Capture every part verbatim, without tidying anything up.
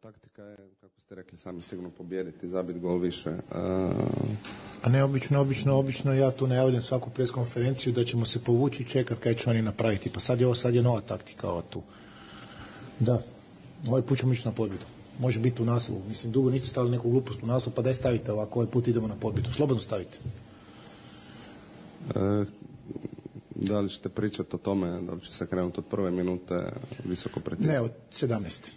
Taktika je, kako ste rekli sami, sigurno pobijediti, zabiti gol više. A, A ne obično, obično, obično ja tu najavljam svaku pres konferenciju da ćemo se povući i čekati kaj će oni napraviti. Pa sad je ovo, sad je nova taktika ova tu. Da, ovaj put ćemo ići na pobjedu. Može biti u naslovu. Mislim, dugo niste stavili neku glupost u naslov, pa daj stavite ovako, ovaj put idemo na pobjedu. Slobodno stavite. e, da li ćete pričati o tome, da li će se krenuti od prve minute visoko pritisku? Ne, od sedamnaeste.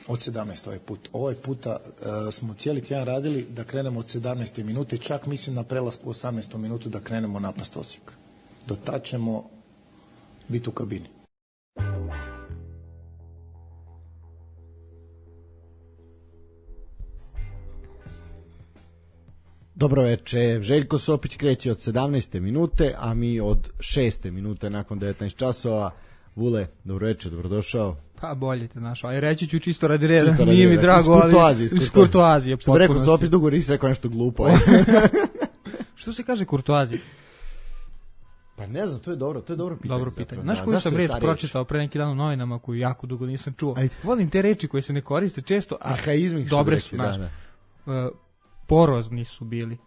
Od sedamnaeste ovaj put. Ovaj puta uh, smo cijeli tjedan radili da krenemo od sedamnaeste minute, čak mislim na prelasku u osamnaestu minutu da krenemo napast Osijek. Do tad ćemo biti u kabini. Dobro veče, Željko Sopić kreće od sedamnaeste minute, a mi od šeste minute nakon devetnaest časova. Vule, dobro veče, dobrodošao. Pa bolje te našao, aj reći ću čisto radi reda, Čisto nije mi drago, ali iz kurtoazije. Što bi rekao Sopić, dugo nisi rekao nešto glupo. Što se kaže kurtoazije? Pa ne znam, to je dobro, to je dobro pitanje. Dobro pitanje. Znaš koju sam reč pročitao pre neki dan u novinama koju jako dugo nisam čuo? Ajde. Volim te reči koje se ne koriste često, a arhaizmi dobre su, znaš. Da, da. Uh, porozni su bili.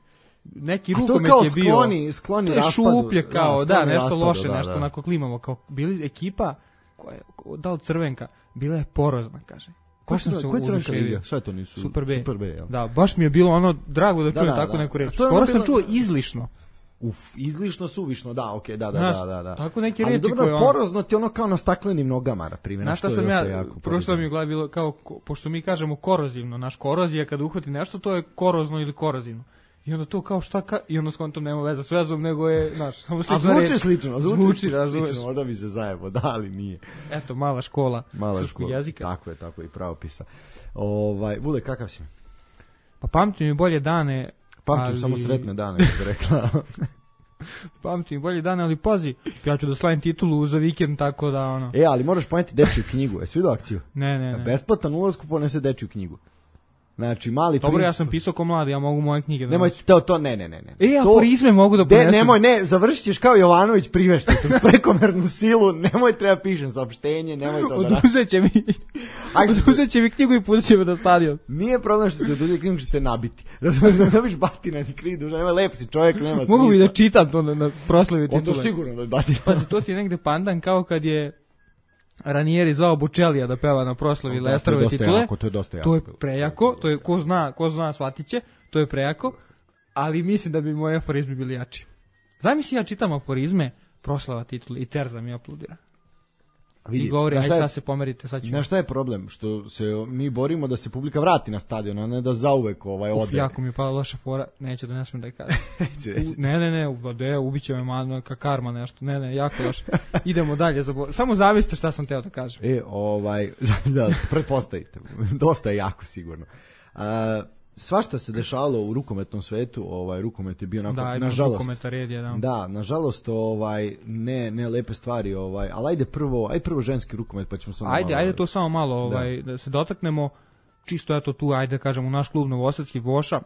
Neki rukomet je bio skloni, skloni to je raspadu, šuplje kao, da, da nešto raspadu, loše, da, nešto da. onako klimavo, kao bili ekipa koja je, da li Crvenka, bila je porozna, kaže. Ko se Crvenka liga? Šta to nisu? Super B. Super B, jel? Da, baš mi je bilo ono drago da čujem da, da, tako da. neku reč. Skoro sam čuo izlišno. Uf, izlišno, suvišno, da, okej, okay, da, da, znaš, da, da, da. Tako neke ali reči dobro, koje on... porozno ti ono kao na staklenim nogama, na primjer. Znaš šta sam ja, prošlo mi u glavi bilo kao, pošto mi kažemo korozivno, naš korozija kada uhvati nešto, to je korozno ili korozivno. I onda to kao šta ka... I onda s kontom nema veze s vezom, nego je, znaš, samo slično. A zvuči reči. slično, zvuči, zvuči razumeš. Slično, možda bi se zajebo, da, ali nije. Eto, mala škola mala srpskog škola. jezika. Tako je, tako je, i pravopisa. Ovaj, Vule, kakav si? Pa pamtim mi bolje dane. Pamtim ali... samo sretne dane, kako bi rekla. Pamtim bolje dane, ali pazi, ja ću da slavim titulu za vikend, tako da ono... E, ali moraš poneti dečju knjigu, jesi vidio akciju? Ne, ne, ne. Besplatan ulazku ponese dečju knjigu. Znači, mali Dobro, princ... ja sam pisao ko mladi, ja mogu moje knjige da nemoj to, to, ne, ne, ne. ne. E, aforizme mogu da ponesem. De, nemoj, ne, završit ćeš kao Jovanović, privešćete uz prekomernu silu, nemoj treba pišem saopštenje, nemoj to da... Oduzet će mi, oduzet će mi knjigu i pustit će me do stadion. Nije problem što ti oduzet knjigu, što te nabiti. Razumiješ, da dobiš batina, ni krivi duža, nema lep si čovjek, nema smisla. Mogu bi da čitam to na, na proslavi titule. Onda sigurno da je batina. Pazi, to ti je negde pandan kao kad je Ranieri zvao Bučelija da peva na proslavi da, Lesterove titule. Jako, to je dosta jako. To je prejako, to je ko zna, ko zna shvatit će, to je prejako, ali mislim da bi moji aforizmi bili jači. Zamisli ja čitam aforizme, proslava titule i Terza mi apludira. Vidi, i govori, aj sad se pomerite, sad ću. Znaš šta je problem? Što se mi borimo da se publika vrati na stadion, a ne da zauvek ovaj ode. Uf, jako mi je pala loša fora, neću da ne smijem da je kažem. ne, ne, ne, ne, ubiće me malo, ka karma nešto, ne, ne, jako loše. Idemo dalje, zabor... samo zavisite šta sam teo da kažem. E, ovaj, da, pretpostavite, dosta je jako sigurno. A, svašta se dešavalo u rukometnom svetu, ovaj rukomet je bio onako, da, nažalost. Rukometa red je, da. Da, nažalost, ovaj ne ne lepe stvari, ovaj, al ajde prvo, aj prvo ženski rukomet pa ćemo samo Ajde, malo, ajde to samo malo, ovaj da. da se dotaknemo. Čisto eto tu, ajde kažemo, naš klub Novosadski Voša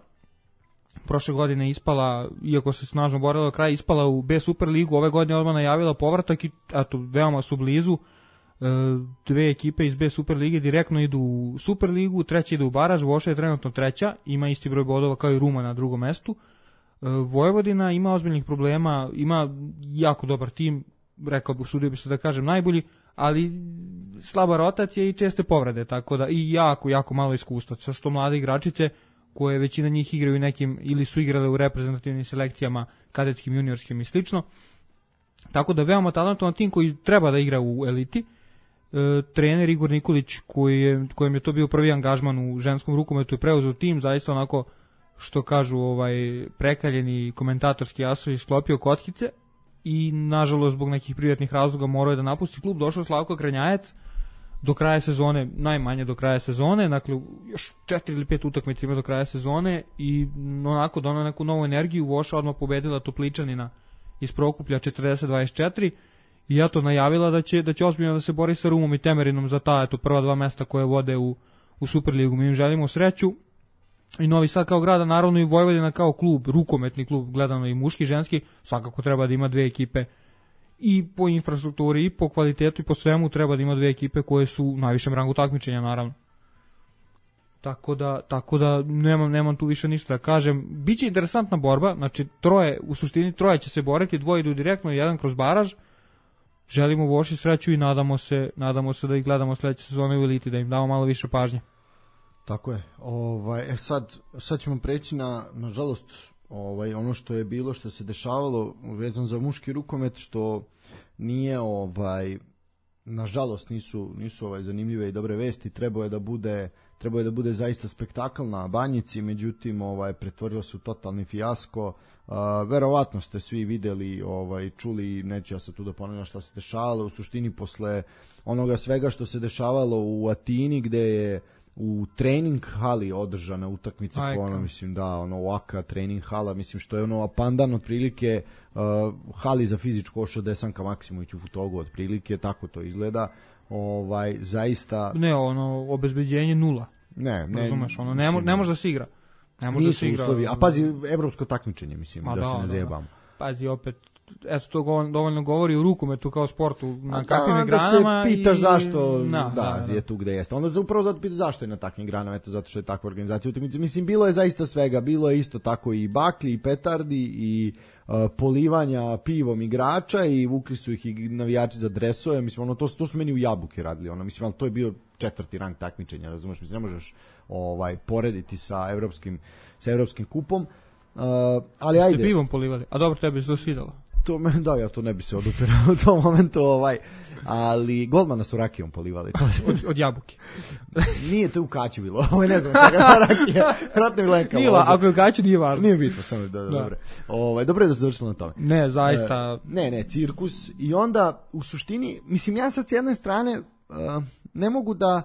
prošle godine ispala, iako se snažno borila do kraja, ispala u B Superligu, ove godine odmah najavila povratak i eto veoma su blizu. Dve ekipe iz B Superlige direktno idu u Superligu, treća ide u baraž, Voša je trenutno treća, ima isti broj bodova kao i Ruma na drugom mestu. Vojvodina ima ozbiljnih problema, ima jako dobar tim, rekao bih, sudio bi se da kažem najbolji, ali slaba rotacija i česte povrede, tako da i jako, jako malo iskustva. Sa sto mlade igračice koje većina njih igraju u nekim, ili su igrale u reprezentativnim selekcijama, kadetskim, juniorskim i slično. Tako da veoma talentovan tim koji treba da igra u eliti. E, trener Igor Nikolić koji je, kojem je to bio prvi angažman u ženskom rukometu je preuzeo tim, zaista onako što kažu ovaj prekaljeni komentatorski asovi sklopio kockice i nažalost zbog nekih privatnih razloga morao je da napusti klub. Došao Slavko Kranjajac do kraja sezone, najmanje do kraja sezone, dakle još četiri ili pet utakmica ima do kraja sezone i onako donao neku novu energiju. Voša odmah pobedila Topličanina iz Prokuplja četrdeset dvadeset četiri i ja to najavila da će da će ozbiljno da se bori sa Rumom i Temerinom za ta eto prva dva mesta koje vode u u Superligu. Mi im želimo sreću. i Novi Sad kao grada, naravno i Vojvodina kao klub, rukometni klub, gledano i muški, ženski, svakako treba da ima dve ekipe i po infrastrukturi, i po kvalitetu, i po svemu treba da ima dve ekipe koje su u najvišem rangu takmičenja, naravno. Tako da, tako da nemam, nemam tu više ništa da kažem. Biće interesantna borba, znači troje, u suštini troje će se boriti, dvoje idu direktno, jedan kroz baraž. Želimo Voši sreću i nadamo se, nadamo se da ih gledamo sledeće sezone u eliti, da im damo malo više pažnje. Tako je. Ovaj, e sad, sad ćemo preći na, nažalost, ovaj, ono što je bilo, što se dešavalo vezano za muški rukomet, što nije, ovaj, nažalost, nisu, nisu ovaj, zanimljive i dobre vesti. Trebao je da bude, trebao je da bude zaista spektakl na Banjici, međutim, ovaj, pretvorilo se u totalni fijasko. Uh, verovatno ste svi videli, ovaj, čuli, neću ja sad tu da ponavljam šta se dešavalo, u suštini posle onoga svega što se dešavalo u Atini, gde je u trening hali održana utakmica, ono, mislim da, ono, Oaka trening hala, mislim što je ono pandan otprilike uh, hali za fizičko košarku Desanka Maksimović u Futogu otprilike, tako to izgleda. Ovaj, zaista... Ne, ono, obezbeđenje nula. Ne, ne. Razumeš, ono, ne, mo, ne može da se igra. Ne može da se igra. Uslovi, a pazi, evropsko takmičenje, mislim, da, da se ne zajebamo. Pazi, opet, eto to dovoljno govori u rukometu kao sportu, na kakvim da, granama. Da se pitaš i... zašto na, da, da, da, je tu gde jeste. Onda se upravo zato pitaš zašto je na takvim granama, eto zato što je takva organizacija utakmice. Mislim, bilo je zaista svega, bilo je isto tako i baklji, i petardi, i uh, polivanja pivom igrača, i vukli su ih i navijači za dresove, mislim, ono, to, to su meni u Jabuke radili, ono, mislim, ali to je bio četvrti rang takmičenja, razumeš, mislim, ne možeš ovaj, porediti sa evropskim, sa evropskim kupom. Uh, ali ste ajde. Ste pivom polivali, a dobro, tebi se to svidalo. To me, da, ja to ne bi se odupirao u tom momentu, ovaj, ali golmana su rakijom polivali. od, od Jabuke. Nije to u Kaću bilo, ovo ne znam čega rakija, vratno je Lenka. Nila, ako je u Kaću nije važno. Nije bitno, samo da, da. Dobro. Ovaj, dobro je da se završilo na tome. Ne, zaista. E, ne, ne, cirkus. I onda, u suštini, mislim, ja sad s jedne strane uh, ne mogu da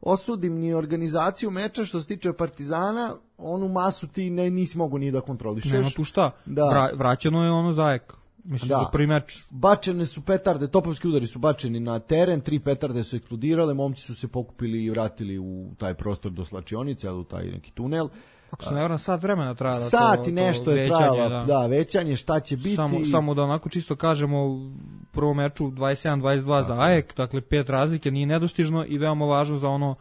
osudim ni organizaciju meča što se tiče Partizana, onu masu ti ne, nisi mogu ni da kontrolišeš. Nema tu šta, da. Vra, vraćeno je ono Zajek. Mislim, da. Za prvi meč. Bačene su petarde, topovski udari su bačeni na teren, tri petarde su eksplodirale, momci su se pokupili i vratili u taj prostor do slačionice, u taj neki tunel. Ako se ne vram, sat vremena trajala. Sat i nešto je trajala, da. da, većanje, šta će biti. Samo, samo da onako čisto kažemo, u prvom meču dvadeset sedam dvadeset dva za A E K, dakle pet razlike, nije nedostižno i veoma važno za ono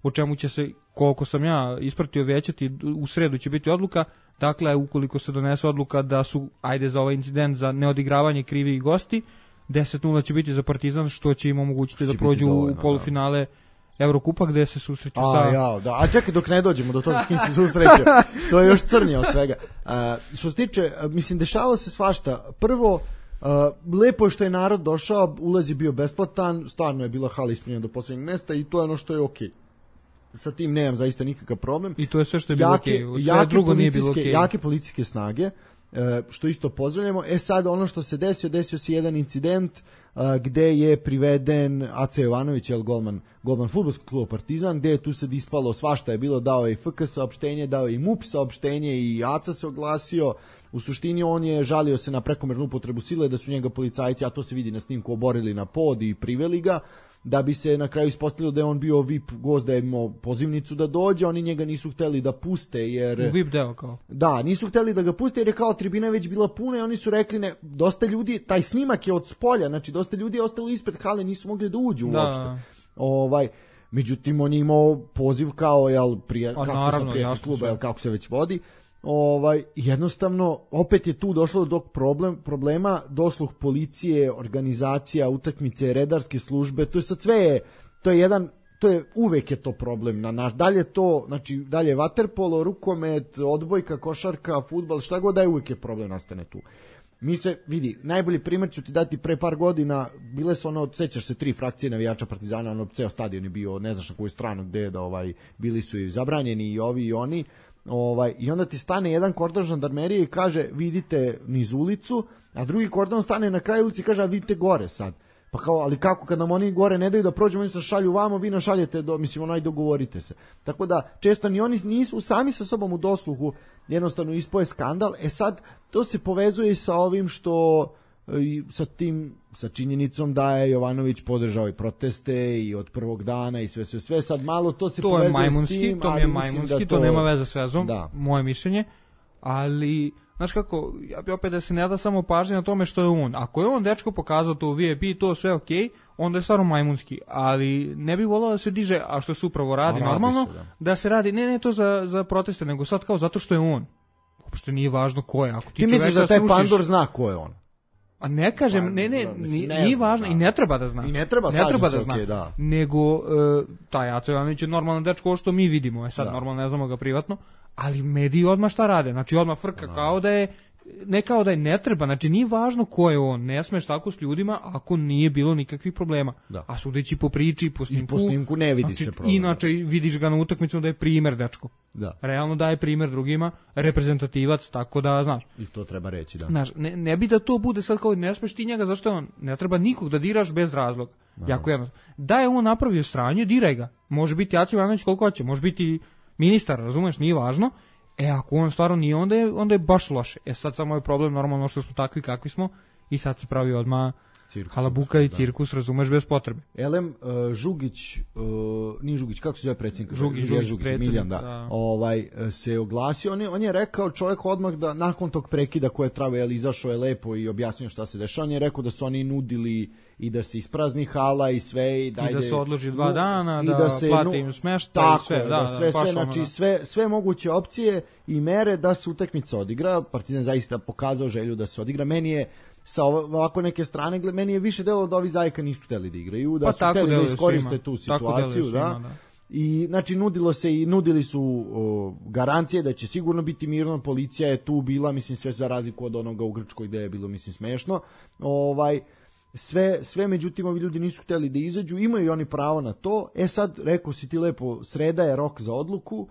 o čemu će se, koliko sam ja ispratio, većati, u sredu će biti odluka. Dakle, ukoliko se donese odluka da su, ajde za ovaj incident, za neodigravanje krivi i gosti, deset nula će biti za Partizan, što će im omogućiti da prođu dovoljno, u polufinale Evrokupa gde se susreću a, sa... Ja, da. A čekaj dok ne dođemo do toga s kim se susreću, to je još crnije od svega. Uh, što se tiče, mislim, dešavalo se svašta. Prvo, uh, lepo je što je narod došao, ulaz je bio besplatan, stvarno je bila hala ispunjena do poslednjeg mesta i to je ono što je okej. Sa tim nemam zaista nikakav problem. I to je sve što je bilo okej. Okay. Sve drugo nije bilo okej. Okay. Jake policijske snage, što isto pozdravljamo. E sad ono što se desio, desio se jedan incident gde je priveden Aca Jovanović, jel, golman, golman fudbalskog kluba Partizan, gde je tu se ispalo svašta je bilo, dao je i F K saopštenje, dao je i M U P saopštenje i Aca se oglasio. U suštini on je žalio se na prekomernu upotrebu sile, da su njega policajci, a to se vidi na snimku, oborili na pod i priveli ga, da bi se na kraju ispostavilo da je on bio V I P gost, da je imao pozivnicu da dođe, oni njega nisu hteli da puste, jer... U V I P deo kao. Da, nisu hteli da ga puste, jer je kao tribina već bila puna i oni su rekli, ne, dosta ljudi, taj snimak je od spolja, znači dosta ljudi je ostalo ispred hale, nisu mogli da uđu da. uopšte. Ovaj, međutim, on je imao poziv kao, jel, prije, kako naravno, sam prijatelj kluba, jel, kako se već vodi. Ovaj, jednostavno, opet je tu došlo do problem, problema, dosluh policije, organizacija, utakmice, redarske službe, to je sad sve je, to je jedan, to je, uvek je to problem na naš, dalje to, znači, dalje vaterpolo, rukomet, odbojka, košarka, fudbal, šta god da je, uvek je problem nastane tu. Mi se, vidi, najbolji primjer ću ti dati, pre par godina, bile su ono, sećaš se, tri frakcije navijača Partizana, ono, ceo stadion je bio, ne znaš na koju stranu, gde je da, ovaj, bili su i zabranjeni i ovi i oni. Ovaj, i onda ti stane jedan kordon žandarmerije i kaže vidite niz ulicu, a drugi kordon stane na kraju ulici i kaže a vidite gore sad. Pa kao, ali kako kad nam oni gore ne daju da prođemo, oni se šalju vamo, vi nas šaljete, do, mislim, onaj dogovorite se. Tako da, često ni oni nisu sami sa sobom u dosluhu, jednostavno ispoje skandal. E sad, to se povezuje i sa ovim što i sa tim, sa činjenicom da je Jovanović podržao i proteste i od prvog dana i sve sve sve, sad malo to se to povezuje je majmunski, s tim, to mi je majmunski, to... to nema veze s vezom, da. Moje mišljenje, ali znaš kako, ja bi opet da se ne da samo pažnje na tome što je on. Ako je on dečko pokazao to u V I P, to sve ok, onda je stvarno majmunski, ali ne bi volao da se diže, a što se upravo radi, radi normalno, se, da. da se radi, ne ne to za, za proteste, nego sad kao zato što je on. Uopšte nije važno ko je. Ako ti, ti misliš da taj srušiš... Pandor zna ko je on? A ne kažem, ne, ne, nije, nije važno, da. I ne treba da zna. I ne treba, ne treba da se, zna. Okay, da. Nego, uh, taj Aco Jovanović je normalan dečko, ovo što mi vidimo, je sad da. Normalno ne znamo ga privatno, ali mediji odmah šta rade, znači odmah frka da. Kao da je, ne kao da je ne treba, znači nije važno ko je on, ne smeš tako s ljudima ako nije bilo nikakvih problema. Da. A sudeći po priči, po snimku, i po snimku ne vidi znači, se problem. Inače vidiš ga na utakmicu da je primer dečko. Da. Realno daje primer drugima, reprezentativac, tako da, znaš. I to treba reći, da. Znaš, ne, ne bi da to bude sad kao ne smeš ti njega, zašto je on, ne treba nikog da diraš bez razloga. Da. Jako jednostavno. Da je on napravio sranje, diraj ga. Može biti Aco Ivanović koliko hoće, može biti ministar, razumeš, nije važno. E, ako on stvarno nije, onda je, onda je baš loše. E, sad samo je problem, normalno što smo takvi kakvi smo i sad se pravi odmah cirkus, halabuka i cirkus, da. Razumeš, bez potrebe. Elem, uh, Žugić, uh, nije Žugić, kako se zove predsjednik? Žugić, Žugić, Žugić Miljan, da. da. Ovaj, se oglasio, on je, on je rekao čovjek odmah da nakon tog prekida koje je trajao, izašao je lepo i objasnio šta se dešava, on je rekao da su oni nudili i da se isprazni hala i sve i da, I da se odloži dva dana, i da, da se plati im smeštaj i sve, da, da, sve, sve, znači, ono, sve, sve moguće opcije i mere da se utakmica odigra. Partizan zaista pokazao želju da se odigra. Meni je sa ovako neke strane, meni je više delo da ovi Zajka nisu hteli da igraju, da pa su hteli da iskoriste tu situaciju, svima, da. da. I znači nudilo se i nudili su o, garancije da će sigurno biti mirno, policija je tu bila, mislim sve za razliku od onoga u Grčkoj gde je bilo mislim smešno. Ovaj sve sve međutim ovi ljudi nisu hteli da izađu, imaju i oni pravo na to. E sad rekao si ti lepo, sreda je rok za odluku.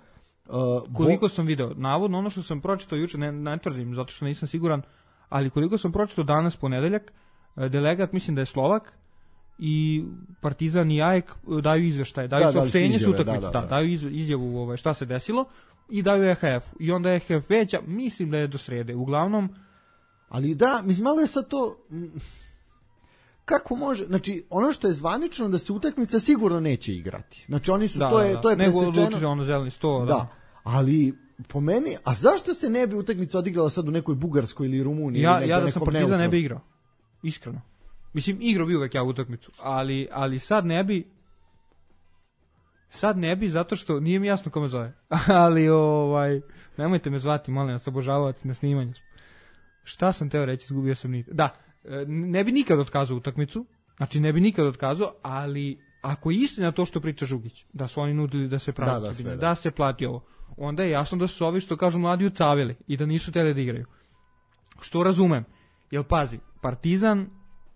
Uh, koliko bo... sam video, navodno ono što sam pročitao juče, ne, ne tvrdim zato što nisam siguran, ali koliko sam pročitao danas ponedeljak, delegat mislim da je Slovak i Partizan i A E K daju izveštaj, daju da, saopštenje s utakmice, da, da, da. da, daju izjavu ovaj, šta se desilo i daju E H F-u. I onda E H F veća, mislim da je do srede. Uglavnom, ali da, mislim malo je sad to kako može, znači ono što je zvanično da se utakmica sigurno neće igrati. Znači oni su da, to je da, to je presečeno. Nego odlučili ono zeleni sto, da. da. Ali po meni, a zašto se ne bi utakmica odigrala sad u nekoj Bugarskoj ili Rumuniji? Ja, ili ja da sam Partizan neutru? Ne bi igrao. Iskreno. Mislim, igrao bi uvek ja utakmicu, ali, ali sad ne bi sad ne bi zato što nije mi jasno kome zove. ali ovaj nemojte me zvati, molim vas, obožavati na snimanju. Šta sam teo reći, izgubio sam nit. Da, ne bi nikad otkazao utakmicu, znači ne bi nikad otkazao, ali ako je istina to što priča Žugić, da su oni nudili da se plati, da, da, sve, da. da se plati ovo, onda je jasno da su ovi što kažu mladi ucavili i da nisu hteli da igraju. Što razumem, jer pazi, Partizan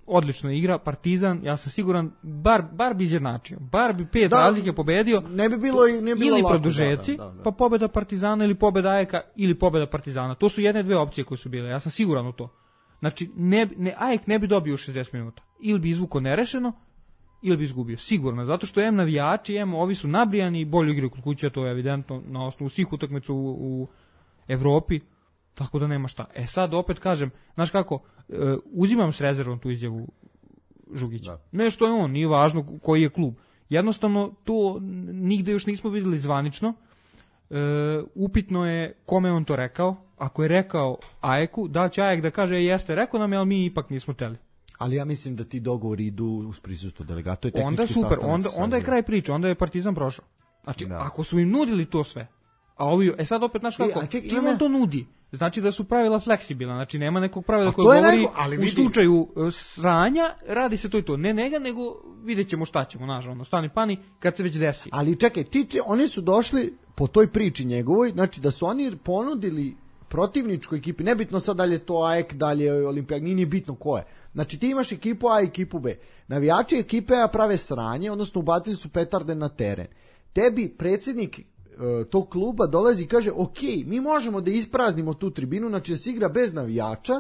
odlično igra, Partizan, ja sam siguran, bar, bar bi izjednačio, bar bi pet da, razlike pobedio, ne bi bilo, ne bi bilo ili lako, produžeci, da, da, da. pa pobeda Partizana ili pobeda A E K ili pobeda Partizana. To su jedne dve opcije koje su bile, ja sam siguran u to. Znači, ne, ne, A E K ne bi dobio u šezdeset minuta. Ili bi izvuko nerešeno, ili bi izgubio. Sigurno, zato što em navijači, em ovi su nabrijani i bolje igraju kod kuće, to je evidentno na osnovu svih utakmica u, u Evropi, tako da nema šta. E sad opet kažem, znaš kako, e, uzimam s rezervom tu izjavu Žugića. Da. Ne što je on, nije važno koji je klub. Jednostavno, to nigde još nismo vidjeli zvanično. E, upitno je kome on to rekao. Ako je rekao A E K-u, da će A E K da kaže jeste, rekao nam je, ali mi ipak nismo teli. Ali ja mislim da ti dogovori idu uz prisustvo delegata. Onda super, onda, onda je kraj priče, onda je Partizan prošao. Znači, da. Ako su im nudili to sve, a ovi, e sad opet, znaš kako, ček, čim on to nudi, znači da su pravila fleksibilna, znači nema nekog pravila koje govori nego, ali u slučaju uh, sranja, radi se to i to, ne njega, nego vidjet ćemo šta ćemo, znaš, ono, stani pani, kad se već desi. Ali čekaj, ti, oni su došli po toj priči njegovoj, znači da su oni ponudili protivničkoj ekipi, nebitno sad dalje to A E K, dalje Olimpijak, nije bitno ko je. Znači ti imaš ekipu A i ekipu B. Navijači ekipe A prave sranje, odnosno ubacili su petarde na teren. Tebi predsjednik uh, tog kluba dolazi i kaže, ok, mi možemo da ispraznimo tu tribinu, znači da se igra bez navijača,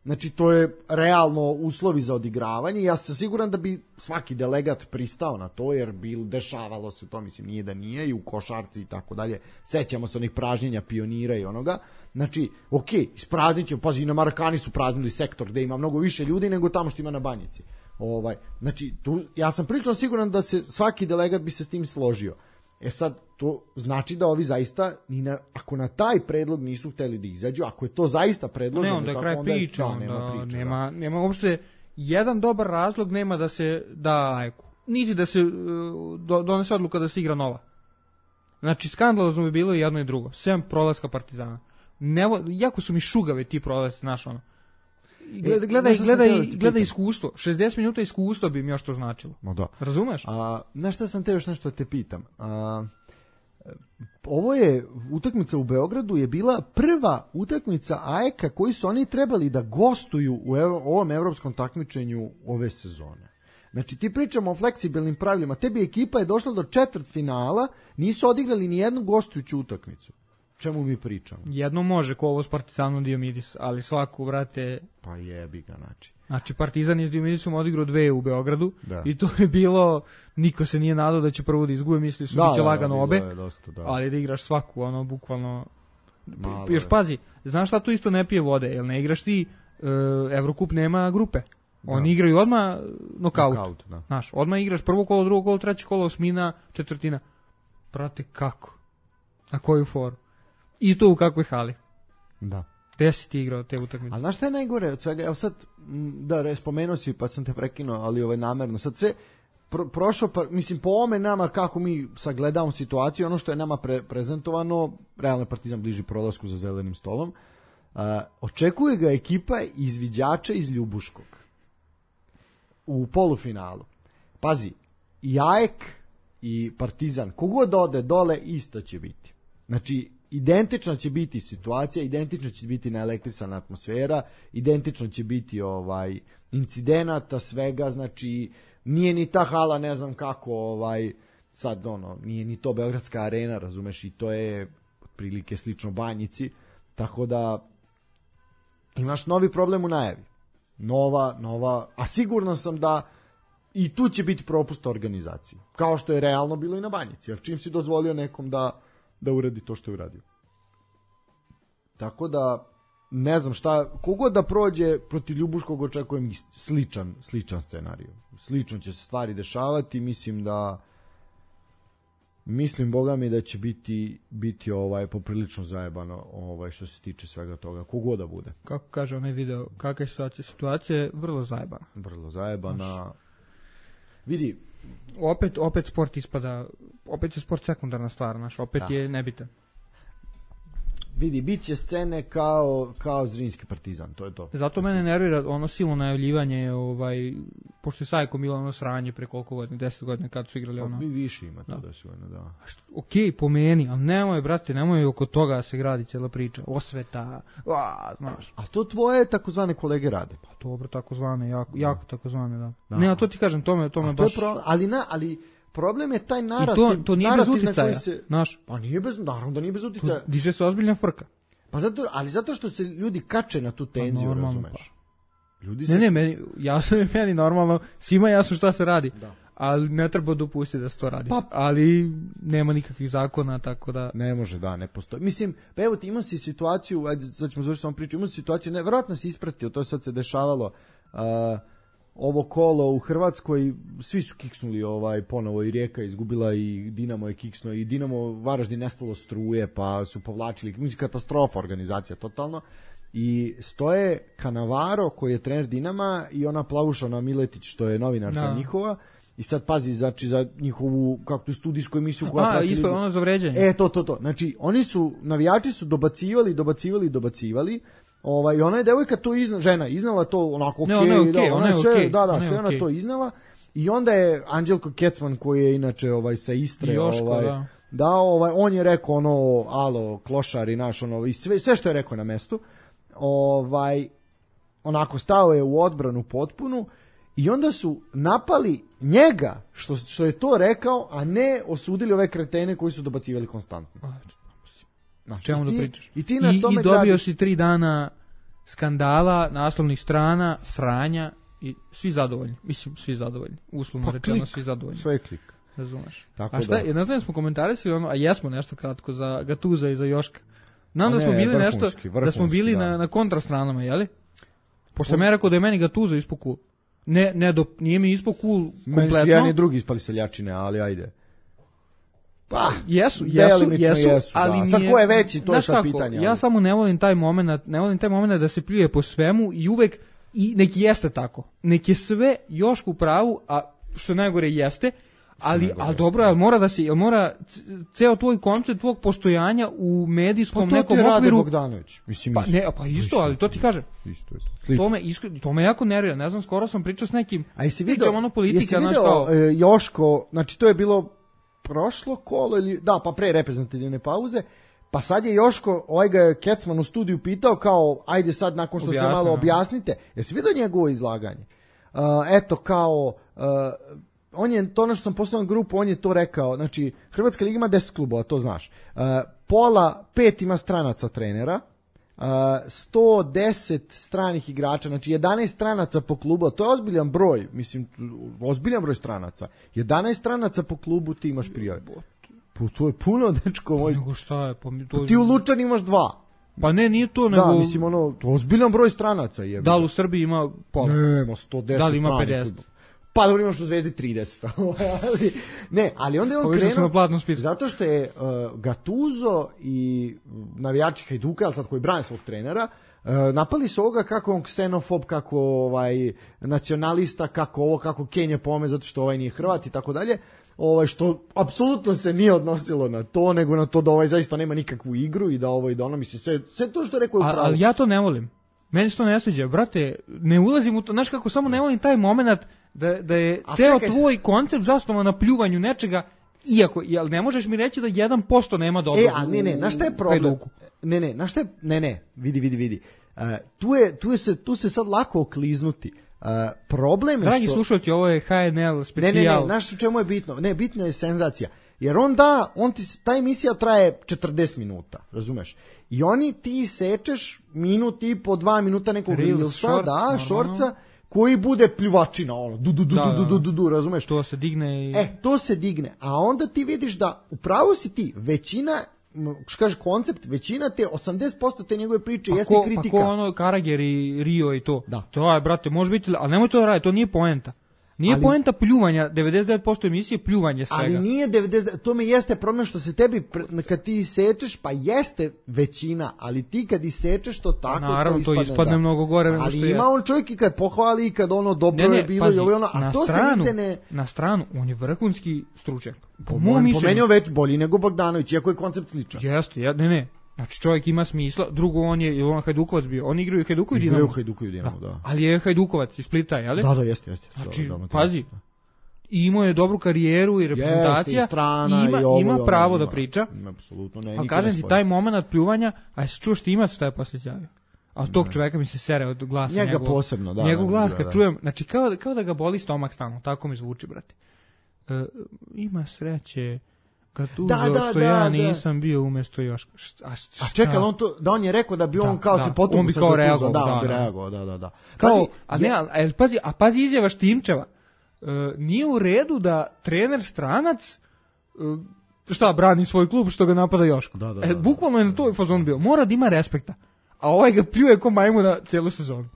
Znači, to je realno uslovi za odigravanje. Ja sam siguran da bi svaki delegat pristao na to, jer bi dešavalo se to, mislim, nije da nije, i u košarci i tako dalje. Sećamo se onih pražnjenja pionira i onoga. Znači, ok, ispraznit ćemo, pazi, i na Marakani su praznili sektor gde ima mnogo više ljudi nego tamo što ima na Banjici. Ovaj, znači, tu, ja sam prilično siguran da se svaki delegat bi se s tim složio. E sad, to znači da ovi zaista, ni na, ako na taj predlog nisu hteli da izađu, ako je to zaista predloženo... Ne, onda je kraj onda priča, da, onda nema, priča, nema, da. nema uopšte jedan dobar razlog nema da se da ajku. Niti da se uh, do, donese odluka da se igra nova. Znači, skandalozno bi bilo i jedno i drugo. Sem prolaska Partizana. Nevo, jako su mi šugave ti prolazi, znaš ono. Gleda, gledaj, gledaj, gledaj iskustvo. šezdeset minuta iskustva bi mi još to značilo. No da. Razumeš? A, znaš šta sam te još nešto te pitam? A, ovo je utakmica u Beogradu je bila prva utakmica A E K-a koji su oni trebali da gostuju u ev, ovom evropskom takmičenju ove sezone. Znači, ti pričamo o fleksibilnim pravilima. Tebi ekipa je došla do četvrtfinala, nisu odigrali ni jednu gostujuću utakmicu. Čemu mi pričamo? Jedno može, ko ovo s Partizanom Diomidis, ali svaku, vrate... Pa jebi ga, znači. Znači, Partizan je s Diomidicom odigrao dve u Beogradu, da. I to je bilo, niko se nije nadao da će prvo da izgube, misli su da, biće da, lagano da, obe, dosta, da. Ali da igraš svaku, ono, bukvalno... Malo još je. Pazi, znaš šta tu isto ne pije vode, jer ne igraš ti, uh, Evrokup nema grupe. Oni da. Igraju odmah nokaut. nokaut da. Znaš, odmah igraš prvo kolo, drugo kolo, treće kolo, osmina, četvrtina. Prate, kako? Na koju foru? I to u kakvoj hali. Da. Gde si ti igrao te utakmice? A znaš šta je najgore od svega? Evo sad, da, spomenuo si, pa sam te prekinuo, ali ovaj namerno. Sad sve pro, prošlo, pa, mislim, po ome nama, kako mi sagledamo situaciju, ono što je nama pre, prezentovano, realno Partizan bliži prolasku za zelenim stolom, uh, očekuje ga ekipa izviđača iz Ljubuškog u polufinalu. Pazi, i A E K i Partizan, kogod ode dole, isto će biti. Znači, identična će biti situacija, identično će biti naelektrisana atmosfera, identično će biti ovaj incidenata, svega, znači nije ni ta hala, ne znam kako, ovaj sad ono, nije ni to Beogradska arena, razumeš, i to je otprilike slično Banjici, tako da imaš novi problem u najavi. Nova, nova, a sigurno sam da i tu će biti propust organizacije, kao što je realno bilo i na Banjici, jer čim si dozvolio nekom da da uradi to što je uradio. Tako da, ne znam šta, kogod da prođe protiv Ljubuškog očekujem sličan, sličan scenarij. Slično će se stvari dešavati, mislim da mislim, boga mi, da će biti, biti ovaj, poprilično zajebano ovaj, što se tiče svega toga, kogod da bude. Kako kaže onaj video, kakva je situacija? Situacija je vrlo zajebana. Vrlo zajebana. Znaš, vidi, opet opet sport ispada, opet je sport sekundarna stvar, znaš, opet da. Je nebitan. Vidi, bit će scene kao, kao Zrinski Partizan, to je to. Zato mene nervira ono silno najavljivanje, ovaj, pošto je Sajko Milo ono sranje pre koliko godina, deset godina kad su igrali ono. Pa mi više ima to da, da su ono, da. Ok, po meni, ali nemoj, brate, nemoj oko toga da se gradi cijela priča, osveta, a, znaš. A to tvoje takozvane kolege rade? Pa dobro, takozvane, jako, jako takozvane, da. da. Ne, a to ti kažem, to me, to me baš... To je pro... ali, na, ali problem je taj narativ. I to, to nije bez uticaja, se... znaš. Pa nije bez, naravno da nije bez uticaja. To diže se ozbiljna frka. Pa zato, ali zato što se ljudi kače na tu tenziju, pa razumeš. Pa. Ljudi se... Ne, ne, meni, jasno je meni normalno, svima jasno šta se radi. Da. Ali ne treba dopustiti da se to radi. Pa, ali nema nikakvih zakona, tako da... Ne može, da, ne postoji. Mislim, pa evo ti imao si situaciju, ajde, sad ćemo završiti samo priču, imao si situaciju, ne, vjerojatno si ispratio, to sad se dešavalo, uh, ovo kolo u Hrvatskoj, svi su kiksnuli ovaj, ponovo, i Rijeka izgubila, i Dinamo je kiksnuo, i Dinamo Varaždin nestalo struje, pa su povlačili, mislim, katastrofa organizacija, totalno. I stoje Kanavaro, koji je trener Dinama, i ona Plavušana Miletić, što je novinarka no. njihova. I sad pazi, znači, za njihovu, kako tu studijsku emisiju koja prati... A, ispod ono za vređanje. E, to, to, to. Znači, oni su, navijači su dobacivali, dobacivali, dobacivali. Ovaj, ona je devojka to iznala, žena, iznala to onako okej, okay, okay, da, ona je sve, okay, da, da, ona sve ona okay. to iznala. I onda je Anđelko Kecman, koji je inače ovaj, sa Istre, Joško, ovaj, da. da, ovaj, on je rekao ono, alo, klošari naš, ono, i sve, sve što je rekao na mestu, ovaj, onako stao je u odbranu potpunu. I onda su napali njega što, što je to rekao, a ne osudili ove kretene koji su dobacivali konstantno. Čemu da pričaš? I, ti na I, tome i dobio gradiš... si tri dana skandala, naslovnih strana, sranja i svi zadovoljni. Mislim, svi zadovoljni. Uslovno pa rečeno, klik, svi zadovoljni. Sve klik. Razumeš. Tako a šta, da. ne znam smo komentarisali ono, a jesmo nešto kratko za Gatuza i za Joška. Znam da smo bili vrhunski, nešto, vrhunski, da smo bili da. na, na kontrastranama, jeli? Pošto sam ja rekao da je meni Gatuza ispod cool. Ne, ne, do, nije mi ispod cool kompletno. Meni su jedan i drugi ispali seljačine, ali ajde. Pa, jesu, jesu, jesu, jesu ali da. Nije, sad ko je veći, to je sad kako, pitanje. Ali. Ja samo ne volim taj moment, ne volim taj moment da se pljuje po svemu i uvek, i neki jeste tako, neki je sve Jošku u pravu, a što najgore jeste, ali, ali dobro, ali mora da se, ali mora ceo tvoj koncept tvog postojanja u medijskom pa nekom okviru. Pa to ti okviru, Rade Bogdanović. Mislim, pa, ne, pa isto, ali to ti kaže. Isto je to. To me, iskre, to me jako nervira, ne znam, skoro sam pričao s nekim, a jesi pričam video, ono politika, jesi video kao, e, Joško, znači to je bilo prošlo kolo ili, da, pa pre reprezentativne pauze, pa sad je Joško, ovaj ga je Kecman u studiju pitao kao, ajde sad nakon što Objasni, se malo no. objasnite, jesi vidio njegovo izlaganje? Uh, eto kao, uh, on je, to ono što sam poslao na grupu, on je to rekao, znači Hrvatska liga ima deset klubova, to znaš, uh, pola, pet ima stranaca trenera, Uh, sto deset stranih igrača, znači jedanaest stranaca po klubu, to je ozbiljan broj, mislim, ozbiljan broj stranaca. jedanaest stranaca po klubu ti imaš prijave. Pa to je puno, dečko moj. Nego šta je? Pa, to... pa ti u Lučani imaš dva. Pa ne, nije to, nego... Da, mislim, ono, to je ozbiljan broj stranaca. Jebe. Da li u Srbiji ima pola? Nema, sto deset da li ima stranih pedeset? Klubu. Pa dobro, imaš u Zvezdi trideset. ali, ne, ali onda je on krenuo, zato što je uh, Gattuso i navijači Hajduka, ali sad koji brane svog trenera, uh, napali su ovoga kako on ksenofob, kako ovaj nacionalista, kako ovo, kako Kenja pome, zato što ovaj nije Hrvat i tako dalje. Ovaj, što apsolutno se nije odnosilo na to, nego na to da ovaj zaista nema nikakvu igru i da ovo i da ono, mislim, sve, sve to što je rekao je upravo. Ali ja to ne volim. Meni se to ne sviđa, brate, ne ulazim u to, znaš kako, samo ne volim taj moment da, da je a ceo čekaj, tvoj koncept zasnovan na pljuvanju nečega, iako, jel ne možeš mi reći da jedan posto nema dobro. E, a ne, ne, znaš šta je problem? Hajduku. Ne, ne, znaš šta je, ne, ne, vidi, vidi, vidi. Uh, tu, je, tu, je se, tu se sad lako okliznuti. Uh, problem je Dragi što... slušalci, ovo je H N L specijal. Ne, ne, ne, znaš u čemu je bitno? Ne, bitna je senzacija. Jer on da, on ti, ta emisija traje četrdeset minuta, razumeš? I oni ti sečeš minut i po dva minuta nekog rilsa, da, šorca, koji bude pljuvačina, ono, du, du, du, da, du, du, du, du, razumeš? To se digne i... E, to se digne, a onda ti vidiš da, upravo si ti, većina, što kaže koncept, većina te, osamdeset posto te njegove priče pa jeste ko, kritika. Pa ko ono Karager i Rio i to. Da. To je, brate, može biti, ali nemoj to da radi, to nije poenta. Nije ali, poenta pljuvanja, devedeset devet posto emisije pljuvanje svega. Ali nije devedeset devet posto, to mi jeste problem što se tebi, kad ti sečeš, pa jeste većina, ali ti kad isečeš to tako, naravno, to ispadne, to ispadne da. mnogo gore nego što ali ima jest. On čovjek i kad pohvali, i kad ono dobro ne, ne, je bilo, pazi, i ono, a to stranu, se nigde ne... Na stranu, on je vrhunski stručnjak. Po, po mom mišljenju već bolji nego Bogdanović, iako je koncept sličan. Jeste, ja, ne, ne. Znači čovjek ima smisla, drugo on je, je on Hajdukovac bio, on igraju Hajdukovu i Dinamo. Igraju Hajdukovu i Dinamo, da. da. Ali je Hajdukovac iz Splita, je li? Da, da, jeste, jeste. Znači, da, da, pazi, i imao je dobru karijeru i reprezentacija, jeste, i strana, i ima, i ovo, ima i ono, pravo ima, da priča. Apsolutno, ne. Ali kažem ti, taj moment pljuvanja, a se čuo Štimac šta je posle izjavio. A tog ne. Čoveka mi se sere od glasa njega njegov, posebno, da. Njegov glas da, kad da. čujem, znači kao, kao da ga boli stomak stalno, tako mi zvuči, brate. E, ima sreće Gatuzo da, da, što da, ja da. nisam bio umjesto Joška. A, a čekaj, on to, da on je rekao da bi da, on kao da, se potupu on bi kao reagovao, da, da, on bi da. reagovao, da, da, da. Kao, Pazi, a ne, a, a, pazi, a pazi izjava Štimčeva. Uh, nije u redu da trener stranac uh, šta brani svoj klub što ga napada Joško. Da, da, e, da, bukvalno je na toj fazon bio. Mora da ima respekta. A ovaj ga pljuje ko majmuna celu sezonu.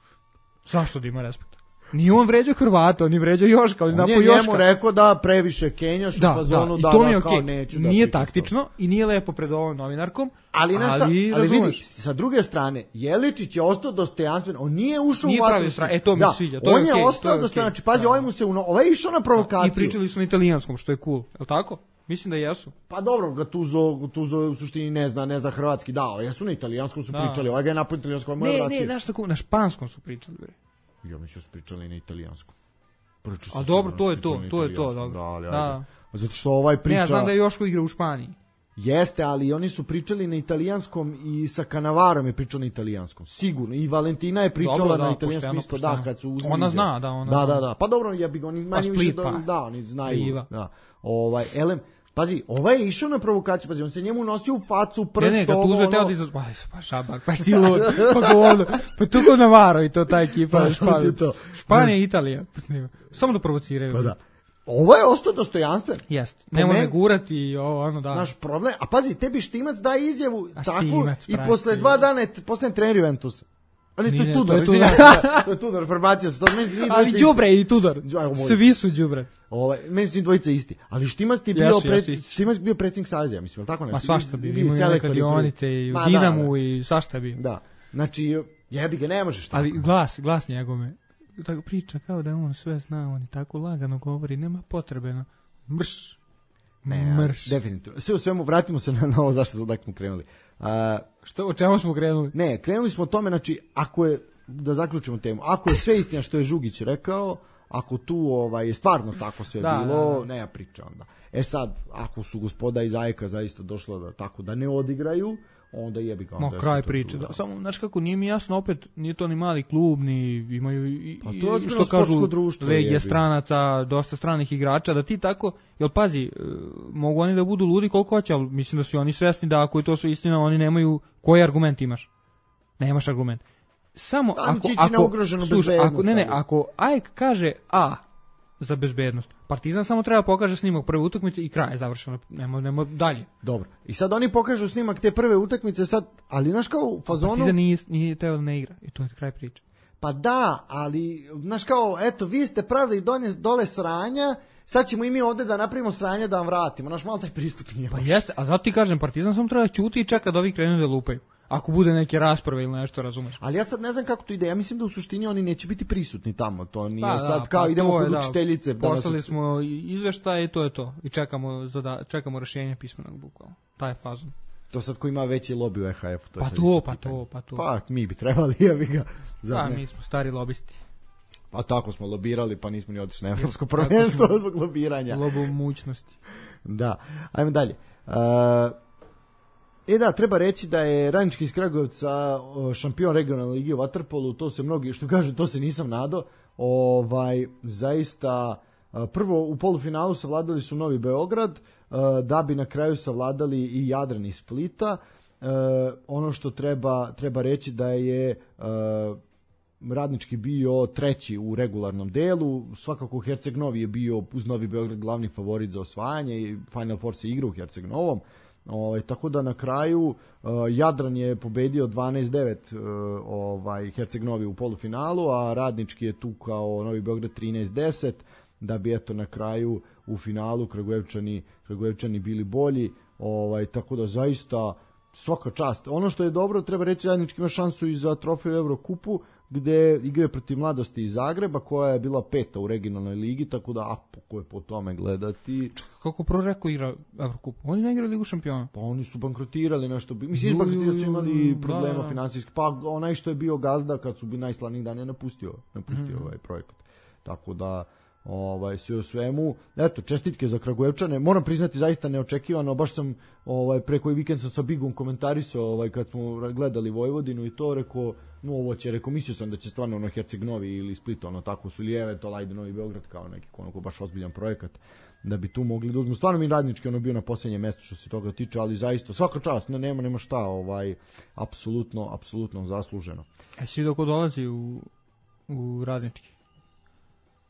Zašto da ima respekta? Nije on vređao Hrvata, on je vređao Joška, on je napao Joška. On je njemu rekao da previše Kenjaš da, u fazonu da, da, i to mi je da, kao okay. neću da nije taktično i nije lepo pred ovom novinarkom. Ali, ali, šta, ali, ali vidi, sa druge strane, Jeličić je ostao dostojanstven, on nije ušao nije u vatru. E, to mi da, se sviđa. To on je, je okay, ostao je dostojanstven, okay. znači, pazi, da. ovaj mu se, uno, ovaj je išao na provokaciju. I pričali su na italijanskom, što je cool, je li tako? Mislim da jesu. Pa dobro, Gattuso, Gattuso u suštini ne zna, ne zna hrvatski, da, jesu na italijanskom su da. pričali, ovaj ga je napao italijanskom, ne, ne, ne, znaš tako, na španskom su pričali, bre. Ja mislim su pričali na italijanskom. A dobro, to je to, to je to, dobro. Da, ali, da. Zato što ovaj priča... Ne, ja znam da je Joško igra u Španiji. Jeste, ali oni su pričali na italijanskom i sa Kanavarom je pričao na italijanskom. Sigurno. I Valentina je pričala dobro, da, na italijanskom isto, da, kad su uzmili. Ona zna, da, ona da, zna. Da, da, pa dobro, ja bih oni manje pa više pa. da, da, oni znaju. Piva. Da. Ovaj, elem, Pazi, ovaj je išao na provokaciju, pazi, on se njemu nosio u facu, prst, ne, ne, kad ovo, tuže ono... teo da izaz... Pa, pa šabak, pa sti lud, pa govno, pa tu ko Navaro i to ta ekipa, Pa, Španija, to. Španija i Italija, samo da provociraju. Pa da. Ovo je ostao dostojanstven. Jeste, ne može gurati i ovo, ono da. Naš problem, a pazi, tebi Štimac daje izjavu A tako Štimac, i pravi, posle dva dana je postane trener Juventusa. Ali to Nije, je to Tudor, je mislim, Tudor. to je Tudor, prebacio se, to meni su njih Ali dvojica đubre i Tudor, isti. Ajmo, moj. svi su đubre. Ovaj, meni su njih dvojica isti. Ali Štimac ti je bio, Jesu, pred, jesu isti. Štimac bio predsjednik Saveza, mislim, je li tako nešto? Ma svašta bi, Ili imaju selektor neka i prvi. dionice i u Ma, Dinamu da, da. i svašta bi. Da, znači, jebi ga, ne možeš tako. Ali glas, glas njegove, tako priča kao da on sve zna, on i tako lagano govori, nema potrebe na mrš. Ne, mrš. definitivno. Sve u svemu, vratimo se na, na ovo zašto smo dakle krenuli. A, Što, o čemu smo krenuli? ne, krenuli smo o tome, znači, ako je, da zaključimo temu, ako je sve istina što je Žugić rekao, ako tu ovaj, je stvarno tako sve Da, bilo, da, da. nema priča onda. E sad, ako su gospoda iz Ajka zaista došla da, tako da ne odigraju, onda jebi ga. Ma onda je kraj sve to priče. tu, Da. Samo, znaš kako, nije mi jasno opet, nije to ni mali klub, ni imaju i, Pa to je i ozbiljno što kažu sportsko društvo, legija jebi. stranaca, dosta stranih igrača, da ti tako, jel pazi, e, mogu oni da budu ludi koliko hoće, ali mislim da su oni svesni da ako je to su istina, oni nemaju, koji argument imaš? Nemaš argument. Samo Pa, ako, će ići na ako, ugroženu slušaj, bezbednost, ako, ne, ne, ali. ako Ajk kaže A za bezbednost, Partizan samo treba pokaže snimak prve utakmice i kraj je završeno, nema, nema dalje. Dobro. I sad oni pokažu snimak te prve utakmice sad, ali znaš kao u fazonu... Partizan nije, nije teo da ne igra i to je kraj priče. Pa da, ali, znaš kao, eto, vi ste pravili donje, dole sranja, sad ćemo i mi ovde da napravimo sranja da vam vratimo. Naš malo taj pristup nije Pa loš. jeste, a zato ti kažem, Partizan samo treba ćuti i čeka da ovi krenu da lupaju. Ako bude neke rasprave ili nešto, razumeš. Ali ja sad ne znam kako to ide, ja mislim da u suštini oni neće biti prisutni tamo, to nije Pa, sad da, kao pa idemo to je, kod da. učiteljice. da nas Poslali uči- smo izveštaj i to je to. I čekamo, zada, čekamo rješenje pismenog bukvalno. Taj je fazon. To sad ko ima veći lobby u E H F-u. To je Pa sad to, isto pa pitanje. to, pa to. Pa mi bi trebali, ja bi ga. Zar Pa ne? mi smo stari lobisti. Pa tako smo lobirali, pa nismo ni otišli na evropsko prvenstvo zbog lobiranja. Lobo mućnosti. Da, ajmo dalje. Uh, E da, treba reći da je Radnički iz Kragujevca o, šampion regionalne lige u vaterpolu, to se mnogi, što kažu, to se nisam nadao. Ovaj, zaista, a, prvo u polufinalu savladali su Novi Beograd, a, da bi na kraju savladali i Jadran iz Splita. E, ono što treba, treba reći da je a, Radnički bio treći u regularnom delu, svakako Herceg Novi je bio uz Novi Beograd glavni favorit za osvajanje i Final Four se igra u Herceg Novom. Ovaj, tako da na kraju uh, Jadran je pobedio dvanaest devet uh, ovaj, Herceg Novi u polufinalu, a Radnički je tu kao Novi Beograd trinaest deset, da bi eto na kraju u finalu Kragujevčani, Kragujevčani bili bolji, ovaj, tako da zaista svaka čast. Ono što je dobro, treba reći, Radnički ima šansu i za trofej u Evrokupu, gde igraju protiv Mladosti iz Zagreba, koja je bila peta u regionalnoj ligi, tako da ako je po tome gledati... Kako proreko igra Evrokup? Oni ne igraju Ligu šampiona. Pa oni su bankrotirali nešto, mislim, Ju, izbankrotirali su imali da, problema da. finansijskih, pa onaj što je bio gazda kad su bili najslavnijih dana je napustio, napustio Mhm. ovaj projekat. Tako da, ovaj, sve u svemu, eto, čestitke za Kragujevčane, moram priznati zaista neočekivano, baš sam ovaj, pre koji vikend sam sa Bigom komentarisao ovaj, kad smo gledali Vojvodinu i to, rekao, no ovo će, rekao, mislio sam da će stvarno ono Herceg Novi ili Split, ono tako su lijeve, to lajde Novi Beograd kao neki onako baš ozbiljan projekat da bi tu mogli da uzmu. Stvarno mi Radnički ono bio na posljednjem mjestu što se toga tiče, ali zaista svaka čast, ne, nema, nema šta, ovaj, apsolutno, apsolutno zasluženo. E, svi dok dolazi u, u Radnički.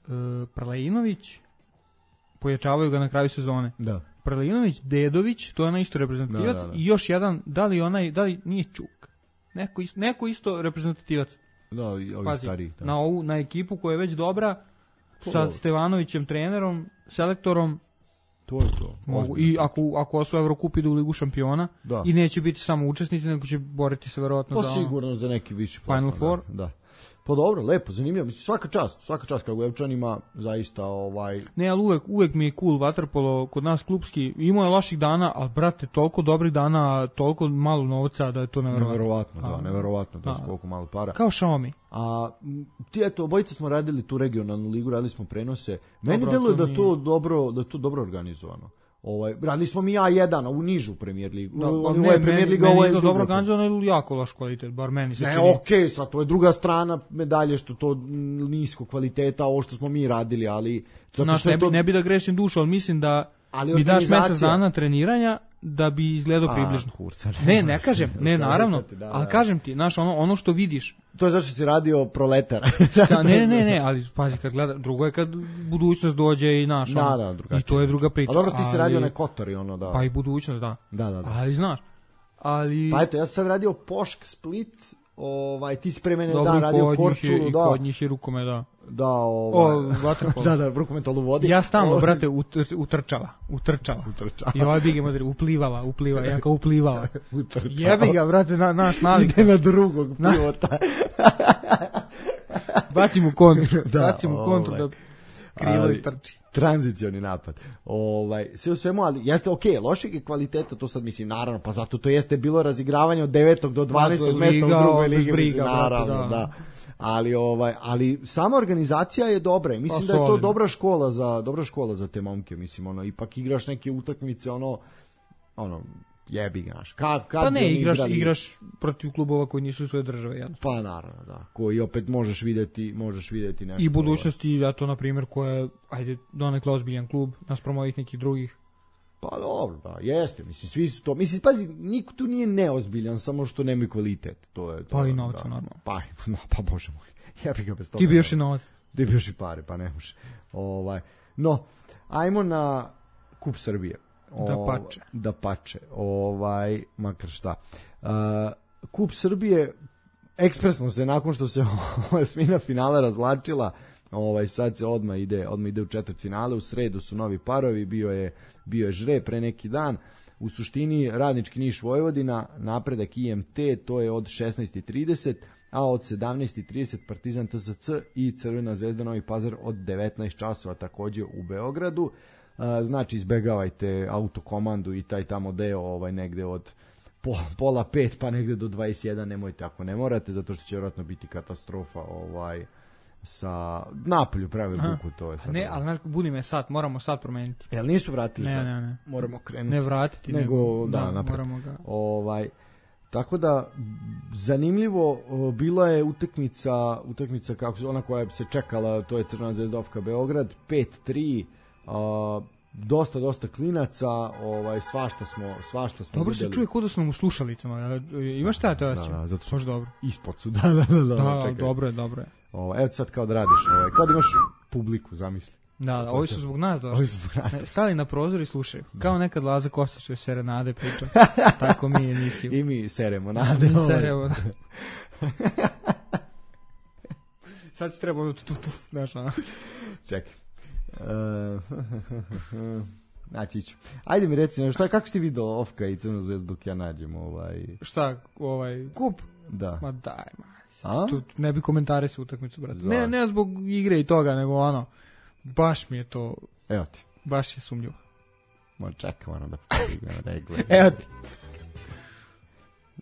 E, Prlejinović, pojačavaju ga na kraju sezone. Da. Prlejinović, Dedović, to je onaj isto reprezentativac, Da, da, da. i još jedan, da li onaj, da li nije Čuk, neko, is- neko isto reprezentativac. Da, i ovi Pazi, stariji. Da. na ovu, na ekipu koja je već dobra, To sa dobro. Stevanovićem trenerom, selektorom, To je to. mogu. ozbiljno. I ako, ako osvoje Evrokup idu u Ligu šampiona, Da. i neće biti samo učesnici, nego će boriti se verovatno Pa za ono. sigurno za neki viši Final plasman, Four. Da, da. Pa dobro, lepo, zanimljivo. Mislim, svaka čast, svaka čast Kragujevčanima, zaista ovaj... Ne, ali uvek, uvek mi je cool vaterpolo kod nas klupski. Imao je loših dana, ali brate, toliko dobrih dana, toliko malo novca da je to neverovatno. Neverovatno, da, A, neverovatno, da da. su koliko malo para. Kao Xiaomi. A m, ti eto, obojica smo radili tu regionalnu ligu, radili smo prenose. Meni Dobro, deluje to da mi- to dobro, da je to dobro organizovano. Ovaj, radili smo mi A jedan, a u nižu premijer ligu. Da, Ovo ne, je premijer meni, liga, meni ovo je izgleda dobro druga. organizovano ili jako loš kvalitet, bar meni se Ne, čini. okej, sad to je druga strana medalje što to mm, nisko kvaliteta, ovo što smo mi radili, ali zato Znaš, što je ne, bi, to... ne bi da grešim dušu, ali mislim da Ali mi daš organizacija- mesec dana treniranja da bi izgledao A, približno. kurca, Ne, ne kažem, ne, Samo naravno, rekati, da, ali da. kažem ti, znaš, ono, ono što vidiš, To je zašto si radio proletar. da, ne, ne, ne, ne, ali pazi, kad gleda, drugo je kad budućnost dođe i naš, Da, ono, da, drugačije. i to je druga priča. A dobro, ti si ali- radio onaj Kotor i ono, da. Pa i budućnost, da. Da, da, da. Ali, znaš, ali... Pa eto, ja sam sad radio Pošk Split, ovaj, ti si pre mene dobro, dan i radio kod njih je, Korčulu, i da. kod njih je rukome, da. Da, ovaj. O, vaterpolo. da, da, rukometolu vodi. Ja stalno, Ovaj, brate, utr, utrčava, utrčava. Utrčava. I ovaj Bigi Madrid uplivala, uplivala, ja kao uplivala. Utrčava. Jebi ga, brate, na, naš navik. Ide na drugog pivota. Bacim u kontru, Da, bacim u kontru ovaj. da krilo Ali- istrči. Tranzicioni napad. Ovaj, sve u svemu, ali jeste okej, okay, lošeg je kvaliteta, to sad mislim, naravno, pa zato to jeste bilo razigravanje od devetog do dvanaestog Dakle, mesta u liga, drugoj bez ligi, briga, mislim, brate, naravno, da. da. Ali ovaj ali sama organizacija je dobra i mislim Pa, da je to solidno. dobra škola za dobra škola za te momke, mislim, ono ipak igraš neke utakmice, ono ono jebi ga, znaš. Kad kad Pa bi ne, oni igraš, igrali- igraš protiv klubova koji nisu svoje države, jel? pa naravno, da. Koji opet možeš videti, možeš videti nešto. I budućnosti, ja to, na primjer, koja je, ajde, donekle ozbiljan klub, naspram ovih nekih drugih. Pa dobro, da, jeste, mislim, svi su to, mislim, pazi, niko tu nije neozbiljan, samo što nemaju kvalitet, to je to. Pa i je, novca, da. normalno. Pa, no, pa bože moj, ja bih ga bez toga. Ti bi još i ne- novac. Ti bi još i pare, pa ne može. Ovaj, no, ajmo na Kup Srbije. Dapače. Da pače, ovaj, makar šta. Uh, Kup Srbije, ekspresno se, nakon što se osmina finala razvlačila, ovaj, sad se odmah ide, odmah ide u četvrt finale, u sredu su novi parovi, bio je, bio je Žre pre neki dan, u suštini Radnički Niš Vojvodina, napredak I M T, to je od šesnaest i trideset, a od sedamnaest i trideset Partizan T S C i Crvena zvezda Novi Pazar od devetnaest časova takođe u Beogradu. Znači izbegavajte autokomandu i taj tamo deo ovaj, negde od pola pet pa negde do dvadeset jedan, nemojte ako ne morate, zato što će vjerojatno biti katastrofa ovaj, sa napolju pravi buku, to je sad. Ne, ali znaš, budi me sad, moramo sad promeniti. Jel nisu vratili Ne, sad? ne, ne. Moramo krenuti. Ne vratiti, nego, nego, da, da, napred. moramo ga. Ovaj, tako da, zanimljivo, o, bila je utakmica, utakmica kako se, ona koja se čekala, to je Crvena zvezda Ofka Beograd, pet tri, a, dosta, dosta klinaca, ovaj, svašta smo, svašta smo Dobro se videli. čuje kod da smo u slušalicama. Imaš šta te osjećaj? Da, zato što- Baš dobro. Ispod su, da, da, da, da, Da, čekaj. dobro je, dobro je. Ovaj, evo ti sad kao da radiš, ovaj, kao da imaš publiku, zamisli. Da, da, ovi su zbog nas došli. Ovi su zbog nas. Ne, stali na prozor i slušaju. Kao nekad Laza Kostić u serenade priča. Tako mi emisiju. I mi seremo nade. Mi ovaj. seremo, da. Sad ti treba ono tu, tu, tu, znaš, ono. Čekaj. Uh, naći ću. Ajde mi reci, šta, kako si ti vidio Ofka i Crvenu zvezdu dok ja nađem ovaj... Šta, ovaj, kup? Da. Ma daj, ma. A? Tu ne bi komentari su utakmicu, brate. Zvar. Ne, ne zbog igre i toga, nego ono, baš mi je to, Evo ti. baš je sumnjivo. Ma čekaj, moram da podignem regle. Evo ti.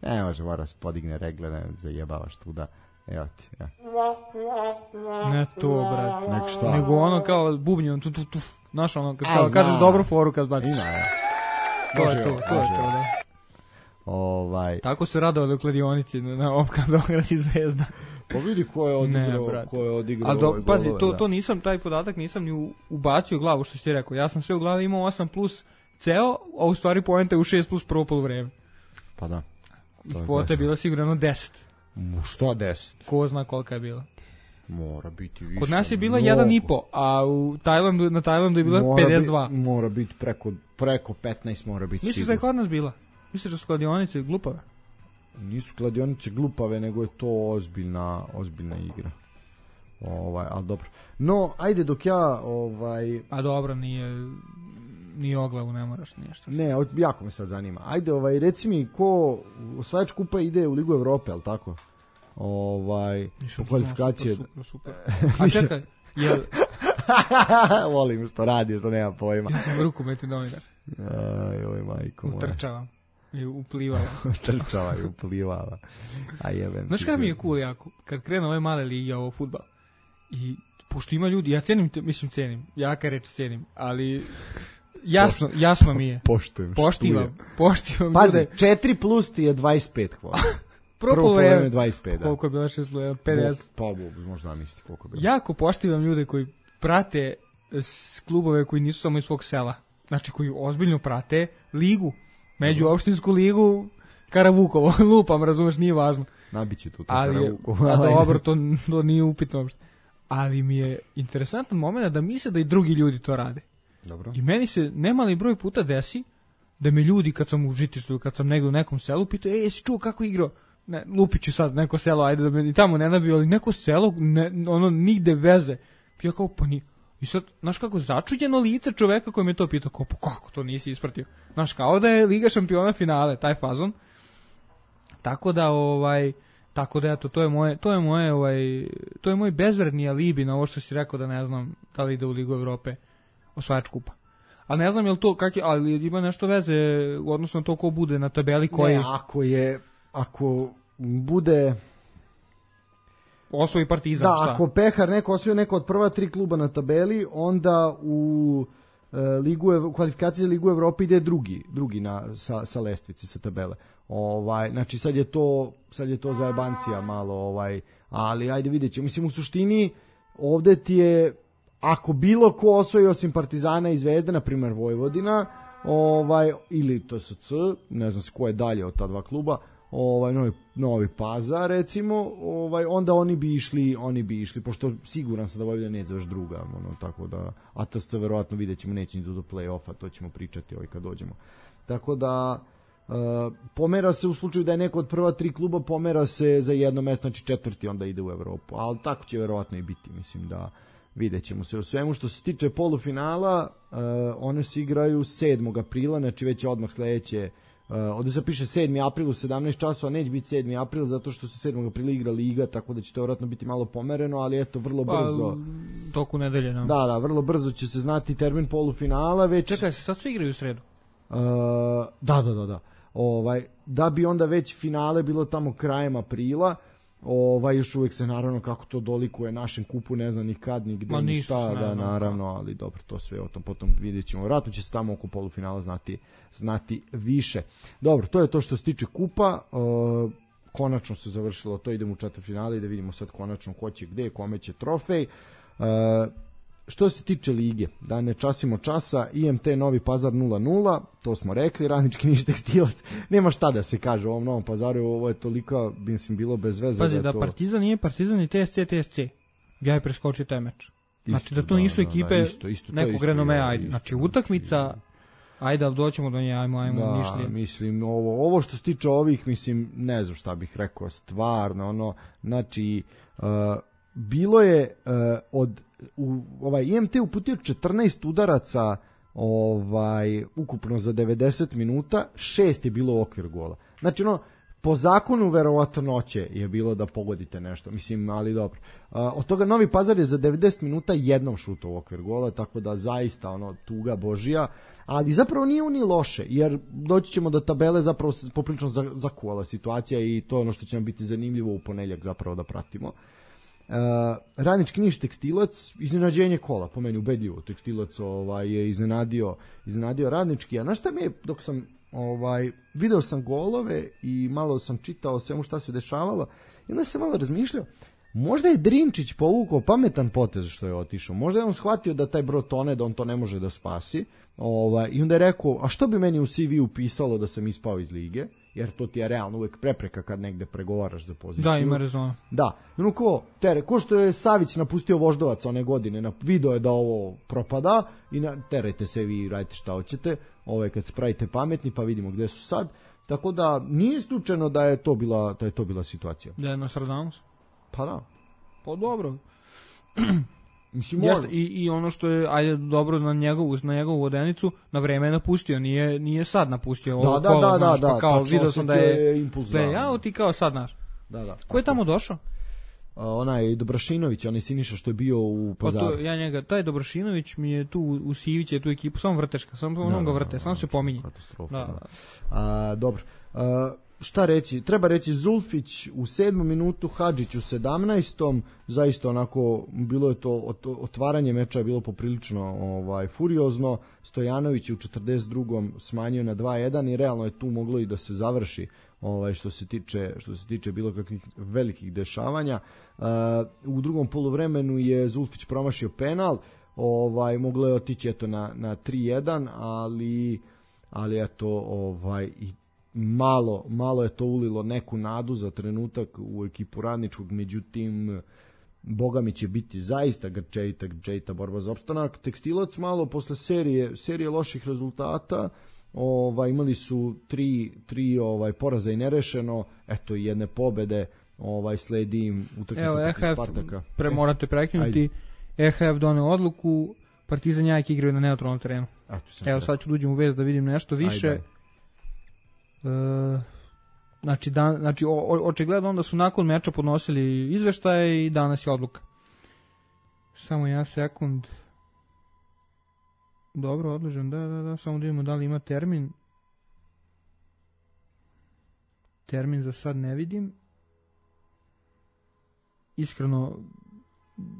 Ne može, mora se podigne regle, ne zajebavaš tu da... Evo ti, ja. Ne to, brate. Nek šta? Nego ono kao bubnjom, tu, tu, tu. Znaš ono, kad A, kao, kažeš znam. dobru foru kad baciš. Ima, ja. To je Može to, ovo, to je može to, ovo. da. Ovaj... Tako se radovali u kladionici na Ofka Beograd i Zvezda. Pa vidi ko je odigrao, Ne, brate. ko je odigrao A do, ovaj pazi, golove, to, da. to nisam, taj podatak nisam ni u, ubacio u glavu što si ti rekao. Ja sam sve u glavi imao osam plus ceo, a u stvari poenta je u šest plus prvo poluvreme. Pa da. To je Kvota je baš- bila sigurno deset. Mu, šta deset? Ko zna kolika je bila. Mora biti više. Kod nas je bila mnogo. jedan i po, a u Tajlandu, na Tajlandu je bila Mora pedeset dva. Bi, mora biti preko, preko petnaest mora biti Misliš da je kod nas bila? Misliš da su kladionice glupave? Nisu kladionice glupave, nego je to ozbiljna, ozbiljna igra. Ovaj, ali dobro. No, ajde dok ja, ovaj... A dobro, nije, nije oglavu, ne moraš ništa. Ne, o- jako me sad zanima. Ajde, ovaj, reci mi, ko osvajač kupa ide u Ligu Evrope, ali tako? Ovaj, po kvalifikacije... Super, super, super. A čekaj, jel, Volim što radi, što nema pojma. ja sam rukometni novinar. Aj, oj, majko moja. Utrčavam i uplivala. Trčava i uplivala. A jebem. Znaš ti kada mi je život. cool jako? Kad krenu ove male lige, ovo fudbal. I pošto ima ljudi, ja cenim, te- mislim cenim, jaka reč cenim, ali jasno, jasno mi je. Poštujem. Poštivam, poštivam Pazi, ljude. četiri plus ti je dvadeset pet hvala. Prvo Prvo vreme, polovreme dvadeset pet, da. koliko je bila šest plus pedeset. Pa, bo, možda zamisliti koliko je bilo. Jako poštivam ljude koji prate s klubove koji nisu samo iz svog sela. znači koji ozbiljno prate ligu, međuopštinsku ligu Karavukovo, lupam, razumeš, nije važno. Nabići tu to Karavukovo. A dobro, to, to nije upitno uopšte. Ali mi je interesantan moment da misle da i drugi ljudi to rade. Dobro. I meni se nemali broj puta desi da me ljudi kad sam u žitištu, kad sam negdje u nekom selu, pitaju, ej, jesi čuo kako igrao? Ne, lupiću sad neko selo, ajde da me i tamo ne nabio, ali neko selo, ne, ono, nigde veze. Ja kao, pa ni... I sad, znaš kako, začuđeno lice čoveka koji me to pitao, kao, pa kako to nisi ispratio? Znaš, kao da je Liga šampiona finale, taj fazon. Tako da, ovaj, tako da, eto, to je moje, to je moje, ovaj, to je moj bezvredni alibi na ovo što si rekao da ne znam da li ide u Ligu Evrope osvajač kupa. Ali ne znam je li to, kak je, ali ima nešto veze, odnosno to ko bude na tabeli koji... Ne, ako je, ako bude... Osvoji Partizan, da, šta? ako Pehar neko osvoji neko od prva tri kluba na tabeli, onda u e, ligu, kvalifikaciji za Ligu Evrope ide drugi, drugi na, sa, sa lestvici, sa tabele. Ovaj, znači sad je to, sad je to zajebancija malo, ovaj, ali ajde vidjet ćemo. Mislim, u suštini, ovde ti je, ako bilo ko osvoji osim Partizana i Zvezde, na primjer Vojvodina, ovaj, ili T S C, ne znam se ko je dalje od ta dva kluba, ovaj Novi, Novi Pazar recimo, ovaj onda oni bi išli, oni bi išli pošto siguran sam da Vojvodina neće završiti druga, ono tako da A T S C verovatno videćemo neće ni do play-offa, to ćemo pričati ovaj kad dođemo. Tako da uh, pomera se u slučaju da je neko od prva tri kluba, pomera se za jedno mesto, znači četvrti onda ide u Evropu, ali tako će verovatno i biti, mislim da videćemo se u svemu. Što se tiče polufinala, uh, one se igraju sedmog aprila, znači već odmah sledeće. Uh, ovdje se piše sedmi april u sedamnaest časova, neće biti sedmi april zato što se sedmog aprila igra Liga, tako da će to vjerojatno biti malo pomereno, ali eto, vrlo pa, brzo. Toku nedelje, no. Da, da, vrlo brzo će se znati termin polufinala. Već... Čekaj, se sad svi igraju u sredu? Uh, da, da, da, da. Ovaj, da bi onda već finale bilo tamo krajem aprila, ovaj, još uvijek se naravno kako to dolikuje našem kupu, ne znam ni kad, ni gde, ni šta, da, naravno, ali dobro, to sve o tom potom vidjet ćemo. Vratno će se tamo oko polufinala znati, znati više. Dobro, to je to što se tiče kupa, uh, konačno se završilo to, idemo u četvrtfinale i da vidimo sad konačno ko će gde, kome će trofej. Uh, što se tiče lige, da ne časimo časa, I M T Novi Pazar nula nula, to smo rekli, Radnički Niš Tekstilac, nema šta da se kaže u ovom Novom Pazaru, ovo je toliko, mislim, bilo bez veze. Pazi, da, da to... Partizan nije Partizan i T S C T S C, ja je preskočio taj meč. Znači isto, da to nisu da, ekipe da, isto, isto, nekog isto, renomea, ajde. Znači utakmica, ajde, ali doćemo do nje, ajmo, ajmo, da, Nišlije. Mislim, ovo, ovo što se tiče ovih, mislim, ne znam šta bih rekao, stvarno, ono, znači, uh, bilo je uh, od u, ovaj I M T uputio četrnaest udaraca ovaj ukupno za devedeset minuta, šest je bilo u okvir gola. Znači ono, po zakonu verovatnoće je bilo da pogodite nešto, mislim, ali dobro. Uh, od toga Novi Pazar je za devedeset minuta jednom šutao u okvir gola, tako da zaista ono tuga božija, ali zapravo nije ni loše, jer doći ćemo do tabele zapravo poprilično zakuvala situacija i to je ono što će nam biti zanimljivo u ponedjeljak zapravo da pratimo. Uh, Radnički Niš Tekstilac, iznenađenje kola, po meni ubedljivo. Tekstilac ovaj, je iznenadio, iznenadio Radnički, a znaš šta mi je, dok sam ovaj, video sam golove i malo sam čitao svemu šta se dešavalo i onda sam malo razmišljao, možda je Drinčić povukao pametan potez što je otišao, možda je on shvatio da taj brod tone, da on to ne može da spasi, ovaj, i onda je rekao, a što bi meni u C V-u pisalo da sam ispao iz lige, jer to ti je realno uvek prepreka kad negde pregovaraš za poziciju. Da, ima rezona. Da, ono ko, tere, ko što je Savić napustio Voždovac one godine, na, video je da ovo propada i na, terajte se vi, radite šta hoćete, ovaj, kad se pravite pametni pa vidimo gde su sad, tako da nije slučajno da je to bila, da je to bila situacija. Da je Nostradamus? Pa da. Pa dobro. Mislim, Jeste, i, i ono što je ajde dobro na njegovu na njegovu vodenicu, na vreme je napustio, nije nije sad napustio ovo da, kolo, da, da, znaš, da, pa kao da, video sam da je impuls, da ja ti kao sad znaš. Da, da. Ko je tamo došao? Uh, onaj Dobrašinović, onaj Siniša što je bio u Pazaru. Pa to, ja njega, taj Dobrašinović mi je tu u Sivić je tu ekipu, samo vrteška, samo da, on ga vrte, samo se pominje. Katastrofa. Da. Da. Uh, dobro. Uh, šta reći? Treba reći Zulfić u sedmom minutu, Hadžić u sedamnaestom zaista onako bilo je to otvaranje meča je bilo poprilično ovaj furiozno. Stojanović je u četrdeset drugom smanjio na dva jedan i realno je tu moglo i da se završi ovaj što se tiče što se tiče bilo kakvih velikih dešavanja. Uh, u drugom poluvremenu je Zulfić promašio penal. ovaj, moglo je otići eto na, na tri jedan, ali, ali eto, ovaj, i malo, malo je to ulilo neku nadu za trenutak u ekipu Radničkog, međutim, boga mi će biti zaista grčejita, grčejita borba za opstanak. Tekstilac malo posle serije, serije loših rezultata, ovaj, imali su tri, tri ovaj, poraza i nerešeno, eto i jedne pobede, ovaj, sledi im utakmica protiv Spartaka. Pre morate prekinuti, E H F doneo odluku, Partizan Jajke igraju na neutralnom terenu. Eto, Evo sad ću da uđem u vez da vidim nešto više. Ajde. E, znači, dan, znači o, očigledno onda su nakon meča podnosili izveštaje i danas je odluka. Samo jedan sekund. Dobro, odložen, da, da, da, samo da vidimo da li ima termin. Termin za sad ne vidim. Iskreno,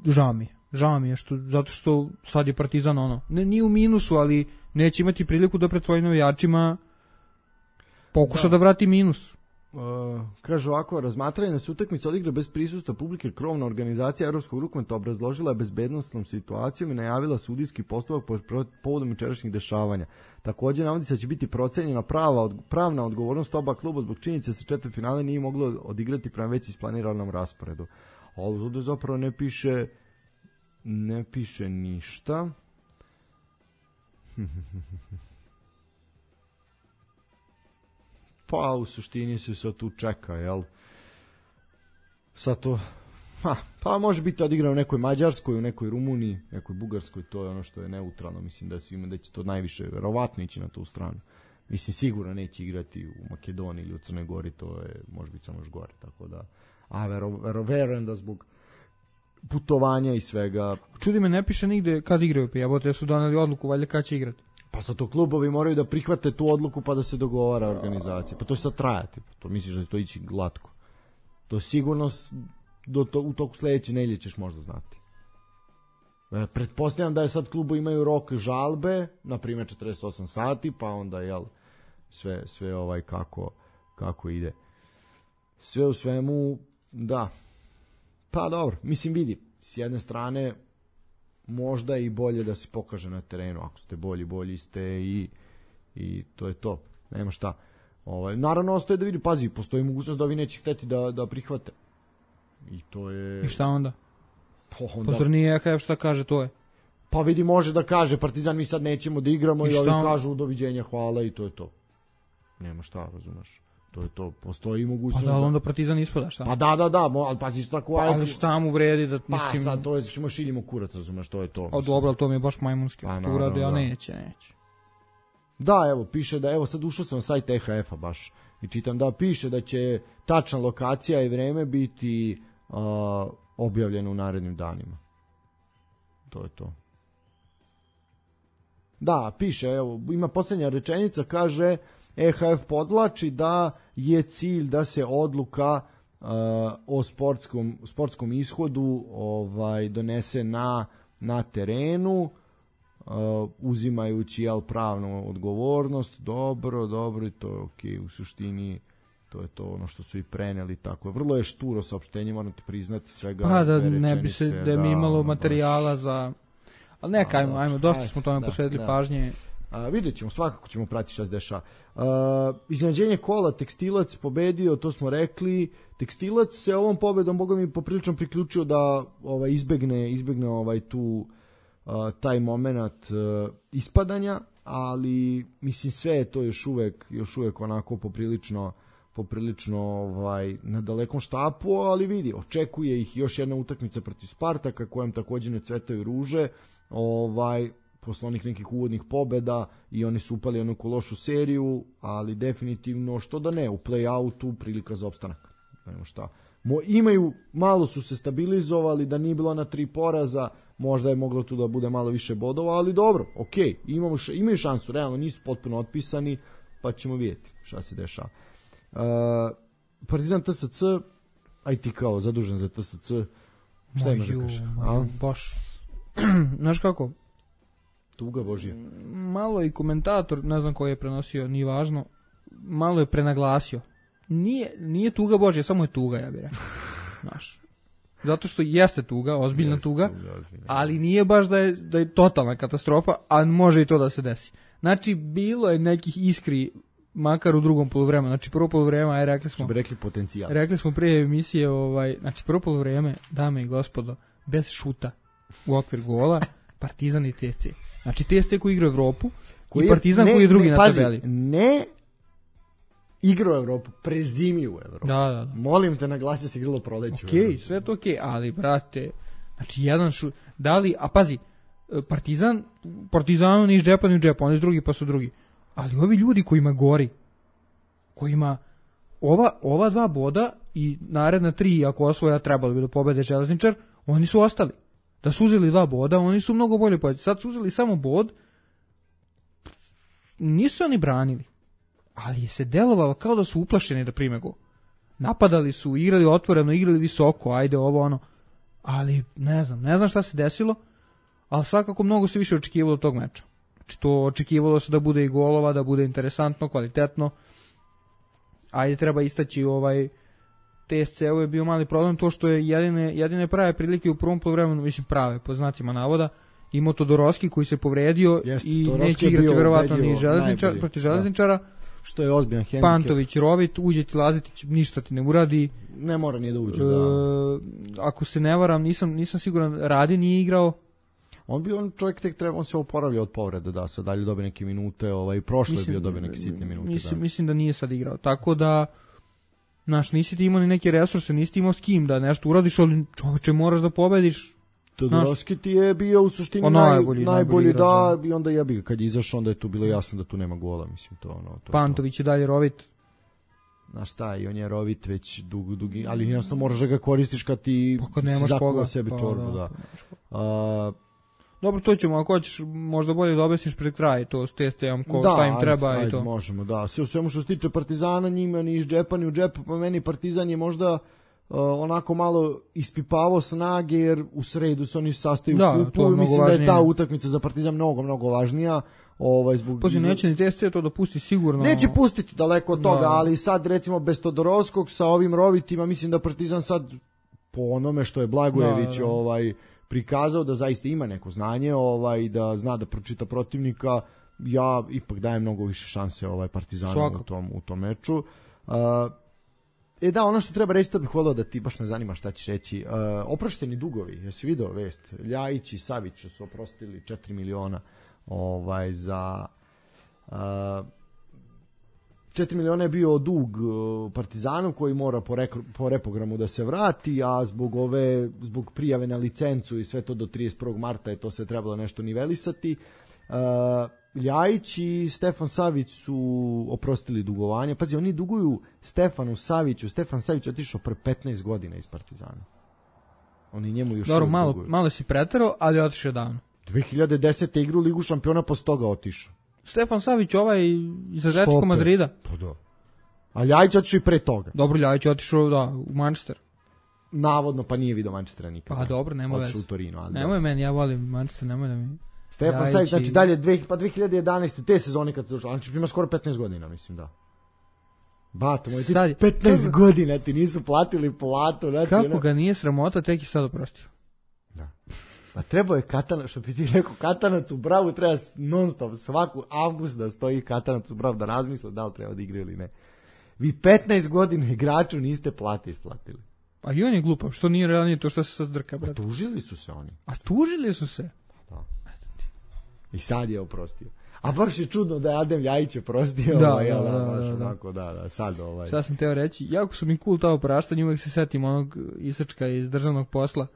žao mi je. Žao mi je, što, zato što sad je Partizan ono, ne, nije u minusu, ali neće imati priliku da pred svojim navijačima pokuša da, da vrati minus. Uh, kaže ovako, razmatranje da se utakmica odigra bez prisustva publike, krovna organizacija Evropskog rukometa obrazložila je bezbednosnom situacijom i najavila sudijski postupak po, povodom jučerašnjih dešavanja. Također navodi se da će biti procenjena prava, pravna odgovornost oba kluba zbog činjenice da se četvrtfinale nije moglo odigrati prema već isplaniranom rasporedu. Ovdje zapravo ne piše ne piše ništa. Pa u suštini se sad tu čeka, jel? Sad to, ha, pa može biti odigrano u nekoj Mađarskoj, u nekoj Rumuniji, nekoj Bugarskoj, to je ono što je neutralno, mislim da svima da će to najviše verovatno ići na tu stranu. Mislim sigurno neće igrati u Makedoniji ili u Crnoj Gori, to je može biti samo još gore, tako da, a vero, vero, verujem da zbog putovanja i svega. Čudi me, ne piše nigde kad igraju, pa jebote, su doneli odluku, valjda kad će igrati. Pa sad to klubovi moraju da prihvate tu odluku pa da se dogovara organizacija. Pa to će sad trajati. To misliš da će to ići glatko. To sigurno do to, u toku sledeće nedelje ćeš možda znati. E, pretpostavljam da je sad klubu imaju rok žalbe, na primjer četrdeset osam sati, pa onda jel sve, sve ovaj kako, kako ide. Sve u svemu, da. Pa dobro, mislim vidi, s jedne strane možda i bolje da se pokaže na terenu, ako ste bolji, bolji ste i, i to je to, nema šta. Ovaj, naravno ostaje da vidi, pazi, postoji mogućnost da ovi neće hteti da, da prihvate. I to je... I šta onda? Pa onda... Pozor nije E H F šta kaže, to je. Pa vidi, može da kaže, Partizan mi sad nećemo da igramo i, i ovi on... kažu doviđenja, hvala i to je to. Nema šta, razumeš. To je to, postoji mogućnost. Pa da, onda Partizan ispada, šta? Pa da, da, da, ali pazi isto tako... Pa, ali šta mu vredi da, pa, mislim... Pa sad, to je, ćemo šiljimo kurac, razumeš, to je to. O, dobro, to mi je baš majmunski. Pa, to uradi, a neće, neće. Da, evo, piše da, evo sad ušao sam na sajt E H F-a baš i čitam da piše da će tačna lokacija i vreme biti uh, objavljeno u narednim danima. To je to. Da, piše, evo, ima posljednja rečenica, kaže... E H F podlači da je cilj da se odluka uh, o sportskom, sportskom ishodu ovaj, donese na, na terenu, uh, uzimajući jel, pravnu odgovornost. Dobro, dobro, i to je okej, u suštini to je to ono što su i preneli, tako je. Vrlo je šturo saopštenje, moram ti priznati svega. Pa da ne bi se, da mi imalo materijala baš... za... Ali neka, ajmo, ajmo, dosta smo tome da, posvetili da. pažnje. A, vidjet ćemo, svakako ćemo pratiti šta se dešava. Iznenađenje kola, Tekstilac pobedio, to smo rekli. Tekstilac se ovom pobedom, boga mi, poprilično priključio da ovaj, izbegne, izbegne ovaj, tu a, taj moment a, ispadanja, ali mislim sve je to još uvek, još uvek onako poprilično poprilično ovaj, na dalekom štapu, ali vidi, očekuje ih još jedna utakmica protiv Spartaka, kojem također ne cvetaju ruže, ovaj, posle onih nekih uvodnih pobeda i oni su upali jednu lošu seriju, ali definitivno što da ne, u play-outu prilika za opstanak. Nemo šta. Mo, imaju, malo su se stabilizovali, da nije bilo na tri poraza, možda je moglo tu da bude malo više bodova, ali dobro, okej, okay, imamo š, imaju šansu, realno nisu potpuno otpisani, pa ćemo vidjeti šta se dešava. Uh, Partizan T S C, aj ti kao zadužen za T S C, šta imaš da kažeš? Baš, znaš kako? Tuga Božija. Malo i komentator, ne znam koji je prenosio, nije važno, malo je prenaglasio. Nije, nije tuga Božija, samo je tuga, ja bih rekao. Znaš. zato što jeste tuga, ozbiljna Jeste tuga, tuga, ozbiljna. ali nije baš da je, da je totalna katastrofa, a može i to da se desi. Znači, bilo je nekih iskri, makar u drugom poluvremenu. Znači, prvo poluvreme, aj rekli smo... Što bi rekli potencijal. Rekli smo prije emisije, ovaj, znači, prvo poluvreme, dame i gospodo, bez šuta u okvir gola, Partizan i T S C. Znači, T S C koji igra u Evropu, koji i Partizan ne, koji je drugi ne, na pazi, tabeli. Ne igra u Evropu, prezimi u Evropu. Da, da, da. Molim te, naglasi se igralo proleće. Okej, okay, sve to okej, okay, ali, brate, znači, jedan šut, da li, a pazi, Partizan, Partizanu ni iz džepa ni u džepa, oni su drugi pa su drugi. Ali ovi ljudi kojima gori, kojima ova, ova dva boda i naredna tri, ako osvoja trebalo bi da pobede Železničar, oni su ostali. Da su uzeli dva boda, oni su mnogo bolje pobedili. Sad su uzeli samo bod, nisu oni branili, ali je se delovalo kao da su uplašeni da prime gol. Napadali su, igrali otvoreno, igrali visoko, ajde ovo ono, ali ne znam, ne znam šta se desilo, ali svakako mnogo se više očekivalo od tog meča. Znači to očekivalo se da bude i golova, da bude interesantno, kvalitetno. Ajde, treba istaći ovaj T S C-u je bio mali problem to što je jedine, jedine prave prilike u prvom poluvremenu, mislim prave, po znacima navoda, imao Todorovski koji se povredio Jest, i Todorovski neće igrati verovatno ni železničar, protiv Železničara. Da. Što je ozbiljan hendikep. Pantović, Rovit, uđe ti Lazetić, ništa ti ne uradi. Ne mora nije da uđe, e, da. Ako se ne varam, nisam, nisam siguran, Radi nije igrao. On bi on čovjek tek treba, on se oporavlja od povrede, da sad dalje dobije neke minute, ovaj prošle je bio dobio neke sitne minute, mislim, da. Mislim da nije sad igrao. Tako da znaš, nisi ti imao ni neke resurse, nisi ti imao s kim da nešto uradiš, ali čoveče moraš da pobediš. Todorovski ti je bio u suštini naj, najbolji, najbolji da, i onda jebi ga, kad je izašao, onda je tu bilo jasno da tu nema gola, mislim, to ono. To, Pantović je dalje Rovit. Znaš šta, i on je Rovit već dug, dugi, ali jednostavno moraš da ga koristiš kad ti pa kad zakuva sebi pa, čorbu, da. da. A, dobro, to ćemo, ako hoćeš možda bolje da objasniš pred kraj to s T S C-om, ko, da, šta im treba ajde, i to. Možemo, da. Sve u svemu što se tiče Partizana, njima ni iz džepa ni u džep, pa meni Partizan je možda uh, onako malo ispipavao snage, jer u sredu se oni sastaju da, u kupu i mislim važnije. Da je ta utakmica za Partizan mnogo, mnogo važnija. Ovaj, zbog... Poslije neće ni T S C to da pusti sigurno. Neće pustiti daleko od toga, da. Ali sad recimo bez Todorovskog sa ovim Rovitima, mislim da Partizan sad po onome što je Blagojević da, da. ovaj prikazao da zaista ima neko znanje, ovaj da zna da pročita protivnika, ja ipak dajem mnogo više šanse ovaj Partizanu u tom u tom meču. Uh, e da, ono što treba reći, to bih voleo da ti, baš me zanima šta ćeš reći. Uh, oprošteni dugovi, jesi video vest? Ljajić i Savić su oprostili četiri miliona ovaj za uh, četiri miliona je bio dug Partizanu koji mora po, rek, po reprogramu da se vrati, a zbog ove zbog prijave na licencu i sve to do trideset prvog marta je to sve trebalo nešto nivelisati. Uh, Ljajić i Stefan Savić su oprostili dugovanje. Pazi, oni duguju Stefanu Saviću. Stefan Savić otišao pre petnaest godina iz Partizana. Oni njemu još dobro, malo, duguju. Malo si preterao, ali otišao davno. dve hiljade desete igru Ligu šampiona, posle toga otišao. Stefan Savić ovaj iz Atletico Madrida. Pa da. A Ljajić otišao i pre toga. Dobro, Ljajić otišao da, u Manchester. Navodno, pa nije vidio Manchestera nikada. Pa dobro, nema veze. Otišao u Torino. Ali nemoj meni, ja volim Manchester, nemoj da mi... Stefan Ljajić Savić, znači dalje, dve, pa dve hiljade jedanaeste te sezone kad se došao, znači ima skoro petnaest godina, mislim, da. Bato, moj, ti sad, petnaest kako... godina ti nisu platili platu. Znači, kako ono... ga nije sramota, tek i sad oprostio. Da. A trebao je Katanac, što bi ti rekao, Katanac u Bravu treba non stop, svaku avgust da stoji Katanac u Bravu da razmisle da li treba da igra ili ne. Vi petnaest godina igraču niste plati isplatili. A i on je glupav, što nije realnije to što se sad zdrka, brate. A tužili su se oni. A tužili su se? Da. I sad je oprostio. A baš je čudno da je Adem Ljajić oprostio. Da, ovaj, da, da, da, baš da, da. onako, da, da, sad ovaj. Šta sam teo reći, jako su mi cool ta opraštanja, uvek se setim onog Isačka iz državnog posla,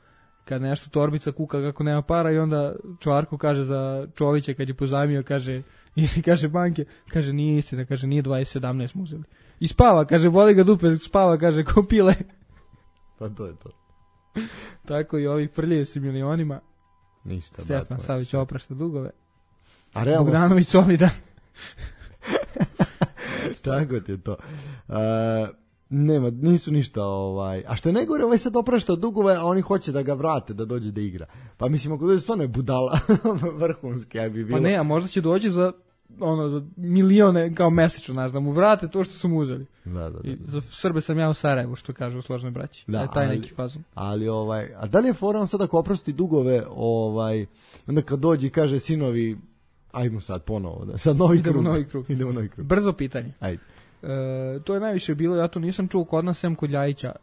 kad nešto torbica kuka kako nema para i onda Čvarko kaže za Čovića kad je pozajmio, kaže, i kaže banke, kaže nije istina, kaže nije dvadeset sedamnaest mu uzeli. I spava, kaže, boli ga dupe, spava, kaže, ko pile. Pa to je to. Tako i ovi frljaju se milionima. Ništa. Stefan Savić oprašta dugove. A realno... Bogdanović solidan. Tako ti je to. Uh, nema, nisu ništa ovaj. A što je najgore, ovaj sad oprašta dugove, a oni hoće da ga vrate, da dođe da igra. Pa mislim, ako dođe stvarno je budala vrhunski, aj bi bilo. Pa ne, a možda će doći za ono, za milione kao mesečno, znaš, da mu vrate to što su mu uzeli. Da, da, da. I za Srbe sam ja u Sarajevu, što kaže u složnoj braći. Da, je taj ali, neki fazon. Ali, ovaj, a da li je fora on sad ako oprosti dugove, ovaj, onda kad dođe i kaže sinovi, ajmo sad ponovo, da, sad novi Idemo krug. Novi krug. Idemo novi krug. Brzo pitanje. Ajde. E, to je najviše bilo, ja to nisam čuo kod nas sem kod Ljajića,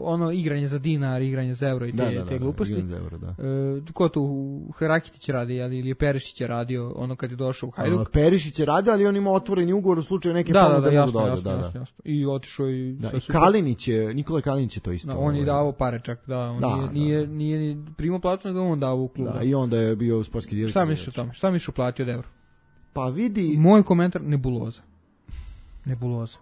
ono igranje za dinar, igranje za euro i te, da, da, te gluposti. Da, euro, da. E, ko tu Herakitić radi, ali ili je Perišić je radio ono kad je došao u Hajduk? A, Perišić je radio, ali on ima otvoreni ugovor u slučaju neke da, ponude. Da, da, jasno, da, jasno, da, jasno, jasno. I otišao i... Da, i Kalinić je, Nikola Kalinić je to isto. Da, on je dao pare čak, da, on da, nije, da. nije, nije, nije primao platu, nego on dao u klub. Da, i onda je bio sportski direktor. Šta misliš o tome? Šta misliš uplatio od euro? Pa vidi... Moj komentar, nebuloza. Nebuloza.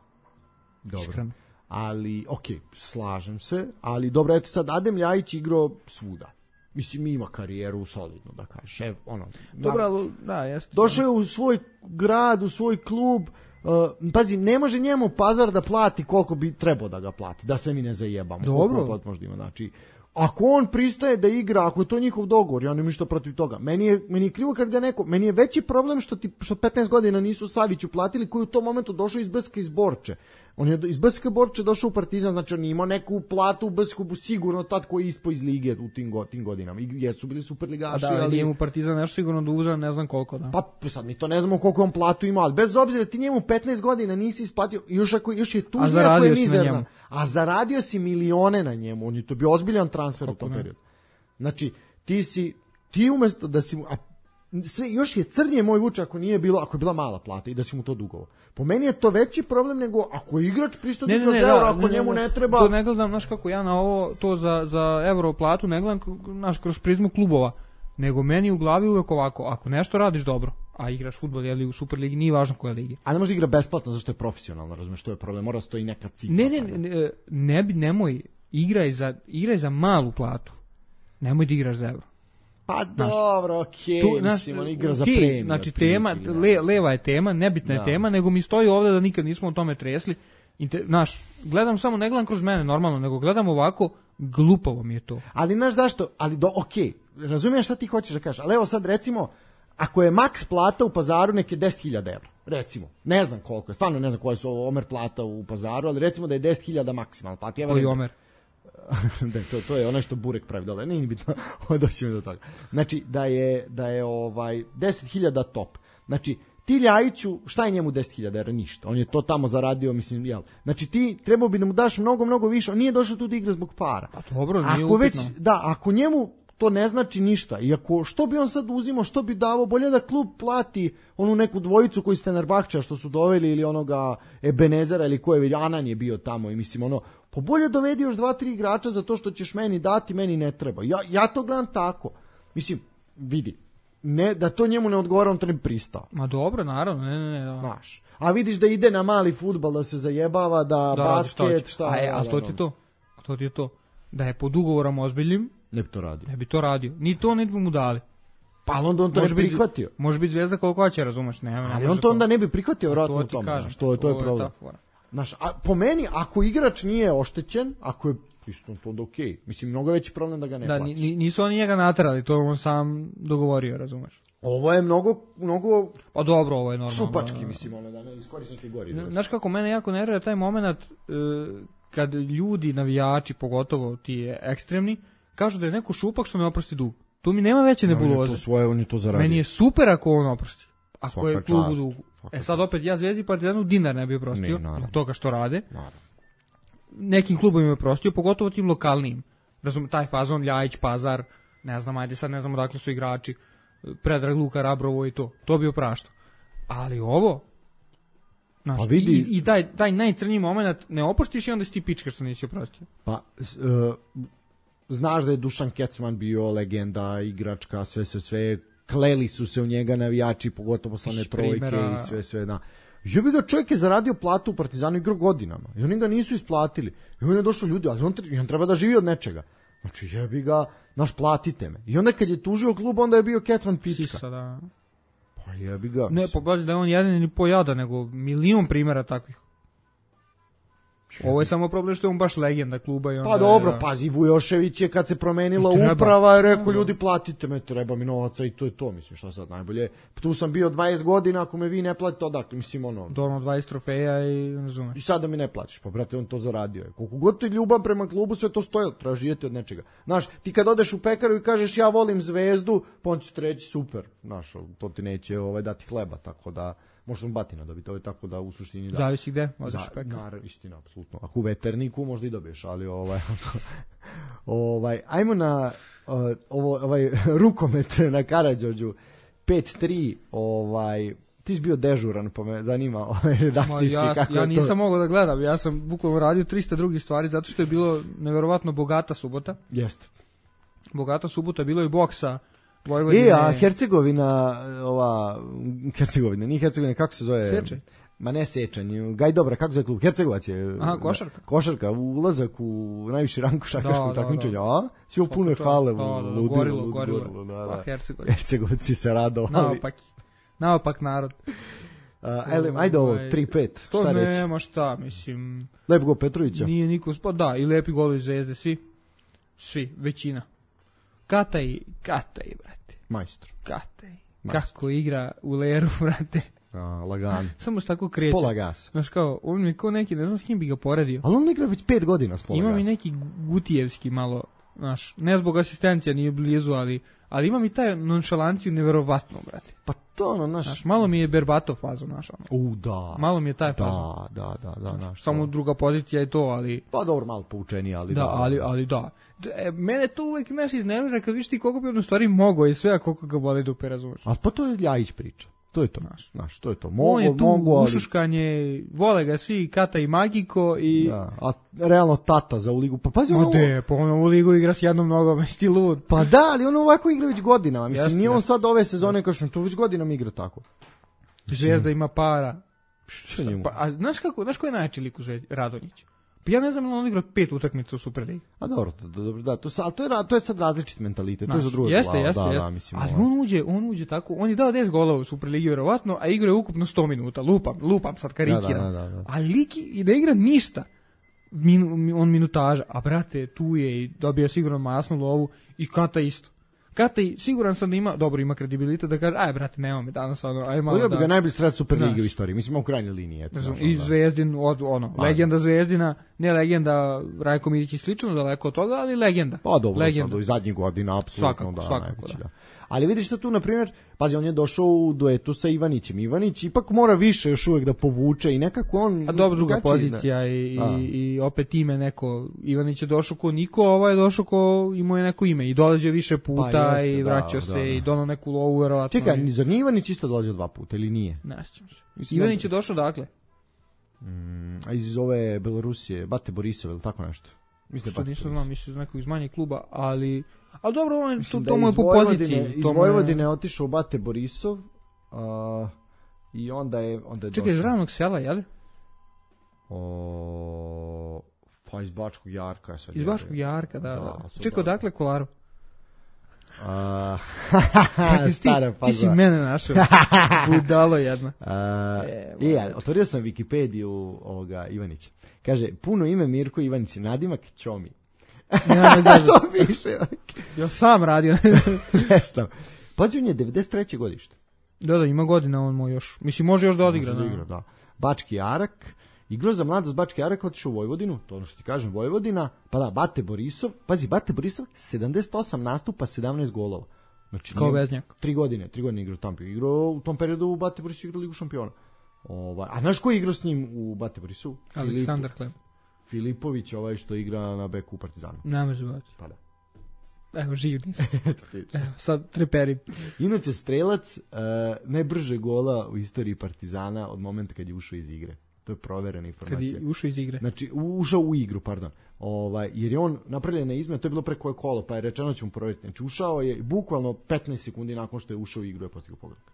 Dobro. Iskreno. Ali, ok, slažem se, ali dobro, eto sad, Adem Ljajić igrao svuda. Mislim, ima karijeru solidno, da kažeš. Evo, ono, dobro, ali, da, jeste. Došao je u svoj grad, u svoj klub, uh, pazi, ne može njemu Pazar da plati koliko bi trebao da ga plati, da se mi ne zajebamo. Dobro. Možda ima, znači, ako on pristaje da igra, ako je to njihov dogovor, ja nemam ništa protiv toga. Meni je, meni je krivo kad ga neko, meni je veći problem što ti što petnaest godina nisu Saviću platili, koji u tom momentu došao iz B S K iz Borče. On je iz B S K Borče došao u Partizan, znači on je imao neku platu u B S K sigurno tad koji je ispao iz lige u tim, go, tim godinama. I jesu bili superligaši. A da, ali njemu Partizan nešto sigurno da uzeo, ne znam koliko, da. Pa sad mi to ne znamo koliko on platu ima, ali bez obzira ti njemu petnaest godina nisi isplatio, još, ako, još je tužnije ako je mizerna. A zaradio si milione na njemu, on je to bio ozbiljan transfer kako u tom periodu. Znači, ti si, ti umesto da si, a sve, još je crnije moj Vuče ako nije bilo, ako je bila mala plata i da si mu to dugovo. Po meni je to veći problem nego ako je igrač pristo da kroz euro, ako ne, njemu ne, ne treba... To ne gledam, znaš kako ja na ovo, to za, za euro platu ne gledam, znaš, kroz prizmu klubova, nego meni u glavi uvek ovako, ako nešto radiš dobro, a igraš fudbal ili u Superligi, nije važno koja ligi. A ne može igra besplatno, zašto je profesionalno, razumeš, to je problem, mora stoji neka cifra. Ne, ne, ne, ne bi, nemoj, igraj za, igraj za malu platu, nemoj da igraš za euro. Pa dobro, okej, okay, mislim, on igra za okay, premiju. Znači, tema, le, leva je tema, nebitna je da. tema, nego mi stoji ovde da nikad nismo o tome tresli. Inter, znaš, gledam samo, ne gledam kroz mene normalno, nego gledam ovako, glupavo mi je to. Ali, znaš zašto, ali do, okej, okay, razumijem šta ti hoćeš da kažeš, ali evo sad recimo, ako je maks plata u Pazaru neke deset hiljada evra, recimo, ne znam koliko je, stvarno ne znam koja su ovo omer plata u Pazaru, ali recimo da je deset hiljada maksimalno plata. Koji omer? da, to, to je ono što Burek pravi dole, nije bitno, doćemo do toga. Znači, da je, da je ovaj deset hiljada top. Znači, ti Ljajiću, šta je njemu deset hiljada evra? Ništa. On je to tamo zaradio, mislim, jel. Znači, ti trebao bi da mu daš mnogo, mnogo više. On nije došao tu da igra zbog para. A dobro, nije ako već, upitno. da, ako njemu to ne znači ništa. I ako, što bi on sad uzimao, što bi davao, bolje da klub plati onu neku dvojicu koji s Fenerbahča što su doveli ili onoga Ebenezera ili ko je, Anan je bio tamo i mislim ono, pa bolje dovedi još dva, tri igrača za to što ćeš meni dati, meni ne treba. Ja, ja to gledam tako. Mislim, vidi, ne, da to njemu ne odgovara, on to ne bi pristao. Ma dobro, naravno, ne, ne, ne. Da. Znaš, a vidiš da ide na mali fudbal, da se zajebava, da, da basket, šta... A, je, a to ti to, a to ti je to. Da je pod ugovorom ozbiljnim, ne bi to radio. Ne bi to radio. Ni to ne bi mu dali. Pa onda on to može ne bi prihvatio. Može biti zvezda koliko hoće, razumeš, ne, ali on to onda ne bi prihvatio vjerojatno u tome. Kažem, što je to je problem. Znaš, a po meni ako igrač nije oštećen, ako je isto to onda okej. Okay. Mislim mnogo veći problem da ga ne da, plaća. Da, nisu oni njega naterali, to on sam dogovorio, razumeš. Ovo je mnogo mnogo pa dobro, ovo je normalno. Šupački, mislim, ono da ne iskorisnike gori. Znaš kako mene jako nervira taj momenat uh, kad ljudi, navijači, pogotovo ti ekstremni, kažu da je neko šupak što ne oprosti dug. Tu mi nema veće nebuloze. On je to svoje, on je to zaradio. Meni je super ako on oprosti. Ako svaka je klub u dugu. E sad opet ja Zvezdi Partizanu dinar ne bi oprostio zbog toga što rade. Naravno. Nekim klubom je oprostio, pogotovo tim lokalnim. Razum, taj fazon, Ljajić, Pazar, ne znam, ajde sad ne znam odakle su igrači, Predrag Luka, Rabrovo i to. To bi opraštao. Ali ovo, znaš, vidi, i, i taj, taj najcrnji moment ne oprostiš i onda si ti pička što nisi oprostio. Pa, uh, znaš da je Dušan Kecman bio legenda, igračka, sve, sve, sve, kleli su se u njega navijači, pogotovo posle trojke primjera... i sve, sve, da. Jebi ga, čovjek je zaradio platu u Partizanu, igrao godinama i oni ga nisu isplatili. I on je došao ljudi, ali on, on treba da živi od nečega. Znači, jebi ga, naš, platite me. I onda kad je tužio klub, onda je bio Kecman pička. Sisa, da. Pa jebi ga. Ne, pobazi da je on jedan ili po jada, nego milion primjera takvih. Ovo je samo problem što je on baš legenda kluba. I onda pa dobro, je, pazi, Vujošević je kad se promenila treba. uprava je rekao ljudi platite me, treba mi novaca i to je to, mislim šta sad najbolje. Tu sam bio dvadeset godina, ako me vi ne platite, odakle, mislim ono. Dono dvadeset trofeja i razumeš. I sada mi ne plaćaš, pa brate, on to zaradio je. Koliko god ti ljubav prema klubu, sve to stoje, treba živjeti od nečega. Znaš, ti kad odeš u pekaru i kažeš ja volim Zvezdu, pa on će ti reći super, znaš, to ti neće ovaj, dati hleba, tako da možda sam batina dobiti, ovo je tako da u suštini da. Zavisi gde, odeš Za, u pekaru. Naravno, istina, apsolutno. Ako u Veterniku možda i dobiješ, ali ovaj, ovaj, ajmo na uh, ovo, ovaj rukomet na Karađorđu, pet tri, ovaj, ti si bio dežuran, pa me zanima ovaj, redakcijski ja, kako ja je to. nisam mogao da gledam, ja sam bukvalno radio trista drugih stvari, zato što je bilo neverovatno bogata subota. Jeste. Bogata subota, bilo je boksa, Vojvodine. I, a Hercegovina, ova, Hercegovina, nije Hercegovina, kako se zove? Sečanj. Ma ne Sečanj, Gaj Dobra, kako se zove klub? Hercegovac je. Aha, košarka. Košarka, ulazak u najviši rang košarkaškog da, takmičenja, da, a? Svi pune hale, da, da, ludilo, gorilo, ludilo, gorilo, gorilo, da, pa da. Hercegovina. Hercegovci se radovali. Naopak, naopak narod. Uh, ele, ajde ovo, tri pet, To šta reći? nema šta, mislim. Lepo go Petrovića. Nije niko, pa da, i lepi golovi Zvezde, svi. Svi, većina. Kataj, Kataj, brate. Majstor. Kataj. Majstor. Kako igra u leru, brate. A, lagan. Samo što tako kreće. S pola gasa. Znaš kao, on mi kao neki, ne znam s kim bi ga poredio. Ali on igra već pet godina s pola Ima gasa. mi neki Gutijevski malo, znaš, ne zbog asistencija, nije blizu, ali, ali ima mi taj nonšalanciju neverovatno, brate. Pa to ono, naš... Znaš, malo mi je Berbatov fazo, znaš, ono. U, da. Malo mi je taj fazo. Da, da, da, da, naš. Samo druga pozicija je to, ali... Pa dobro, malo poučeni, ali da. Da, ali, ali da. E, mene to uvek, znaš, iznervira kad viš ti koliko bi on u stvari mogao i sve, a koliko ga voli dupe, razumeš. A pa to je Ljajić priča. To je to, Znaš. Znaš, to je to. Mogu, On je tu mogu, ali... ušuškanje, vole ga svi, Kata i Magiko i... Da, a realno tata za u ligu. Pa pazi, Ma ono... de, pa ono u ligu igra s jednom nogom, jesi ti lud. Pa da, ali on ovako igra već godinama. Mislim, Jasne, nije on jasne. sad ove sezone kao što to već godinama igra tako. Zvezda ima para. Što njemu? Pa, a znaš kako, znaš ko je najjači lik u Zvezdi? Radonjić. Pa ja ne znam, on igra pet utakmica u Superligi. A dobro, to, dobro, da, to, sa- ali to je, ra- to je sad različit mentalitet, to je za drugo. Jeste, glava, jeste, da, jeste. da, mislim, ali ovo. on uđe, on uđe tako, on je dao deset golova u Superligi verovatno, a igra je ukupno sto minuta. Lupam, lupam sad karikiram. Da, da, da, da. A lik i ne igra ništa. Min, on minutaža, a brate, tu je i dobio sigurno masnu lovu i Kata isto. Kata i siguran sam da ima, dobro ima kredibilitet da kaže, aj brate, nema me danas, ono, aj malo Ovo da... bi ga najbolji strelac Superlige Znaš. u istoriji, mislim u krajnjoj liniji. Eto, Ne znam, znaš, i onda. Zvezdin, od, ono, Pa, legenda Zvezdina, ne legenda Rajko Milić i slično, daleko od toga, ali legenda. Pa dobro, legenda. sad i zadnjih godina, apsolutno, Svakako, da, svakako, najveći, da. da. Ali vidiš sad tu, na primjer, pazi, on je došao u duetu sa Ivanićem. Ivanić ipak mora više još uvijek da povuče i nekako on... A dobro, druga drugačiji, pozicija i, Da. i, i opet ime neko, Ivanić je došao ko niko, a ovaj je došao ko imao je neko ime i dolazio više puta Pa jeste, i da, vraćao da, se da. i donao neku lovu verovatno. Čekaj, i- zar nije Ivanić isto dolazio dva puta ili nije? Ne sjećam se. Mislim, Ivanić da- je došao dakle? Mm, a iz ove Belorusije, Bate Borisov ili tako nešto? Mislim, Što Bate nisam Borisov. znao, mislim iz nekog iz manjeg kluba, ali... Ali dobro, on, je- to, Mislim da to mu je iz po Vojvodine- poziciji. Iz to mu je- Vojvodine je otišao Bate Borisov a, i onda je, onda je Čekaj, iz došao. ravnog sela, jel? O, pa iz Bačkog Jarka. Sad Iz je- Baškog Jarka, da. Da, da. su Čekaj, da. odakle Kolaru? A, Kakvi si ti, stara ti si faza. mene našao. Budalo jedna. A, E, e, ali otvorio sam Wikipediju ovoga Ivanića. Kaže, puno ime Mirko Ivanić, nadimak Ćomi. Ja ne znam. To piše. Ja sam radio. Ne znam. Pazi, on je devedeset treće godište. Da, da, ima godina on moj još. Mislim, može još da odigra. Može da da. igra, da. Bački Jarak, igrao za mladost Bački Jarak, otišao u Vojvodinu, to ono što ti kažem, Vojvodina, pa da, Bate Borisov, pazi, Bate Borisov, sedamdeset osam nastupa, sedamnaest golova. Znači, Kao nije- veznjak. Tri godine, tri godine igrao tamo. Igrao u tom periodu u Bate Borisov igrao Ligu šampiona. Ovaj, a znaš ko je igrao s njim u Bate Borisovu? Aleksandar Hleb. Filipović, ovaj što igra na beku u Partizanu. Ne može bati. Pa da. Evo, živ nisam. Evo, sad treperi. Inače, strelac uh, najbrže gola u istoriji Partizana od momenta kad je ušao iz igre. To je proverena Kad informacija. je ušao iz igre. Znači, u- ušao u igru, pardon. Ovaj, jer je on napravljena izmena, to je bilo preko koje kolo, pa je rečeno ćemo provjeriti. Znači, ušao je bukvalno petnaest sekundi nakon što je ušao u igru je postigao pogodak.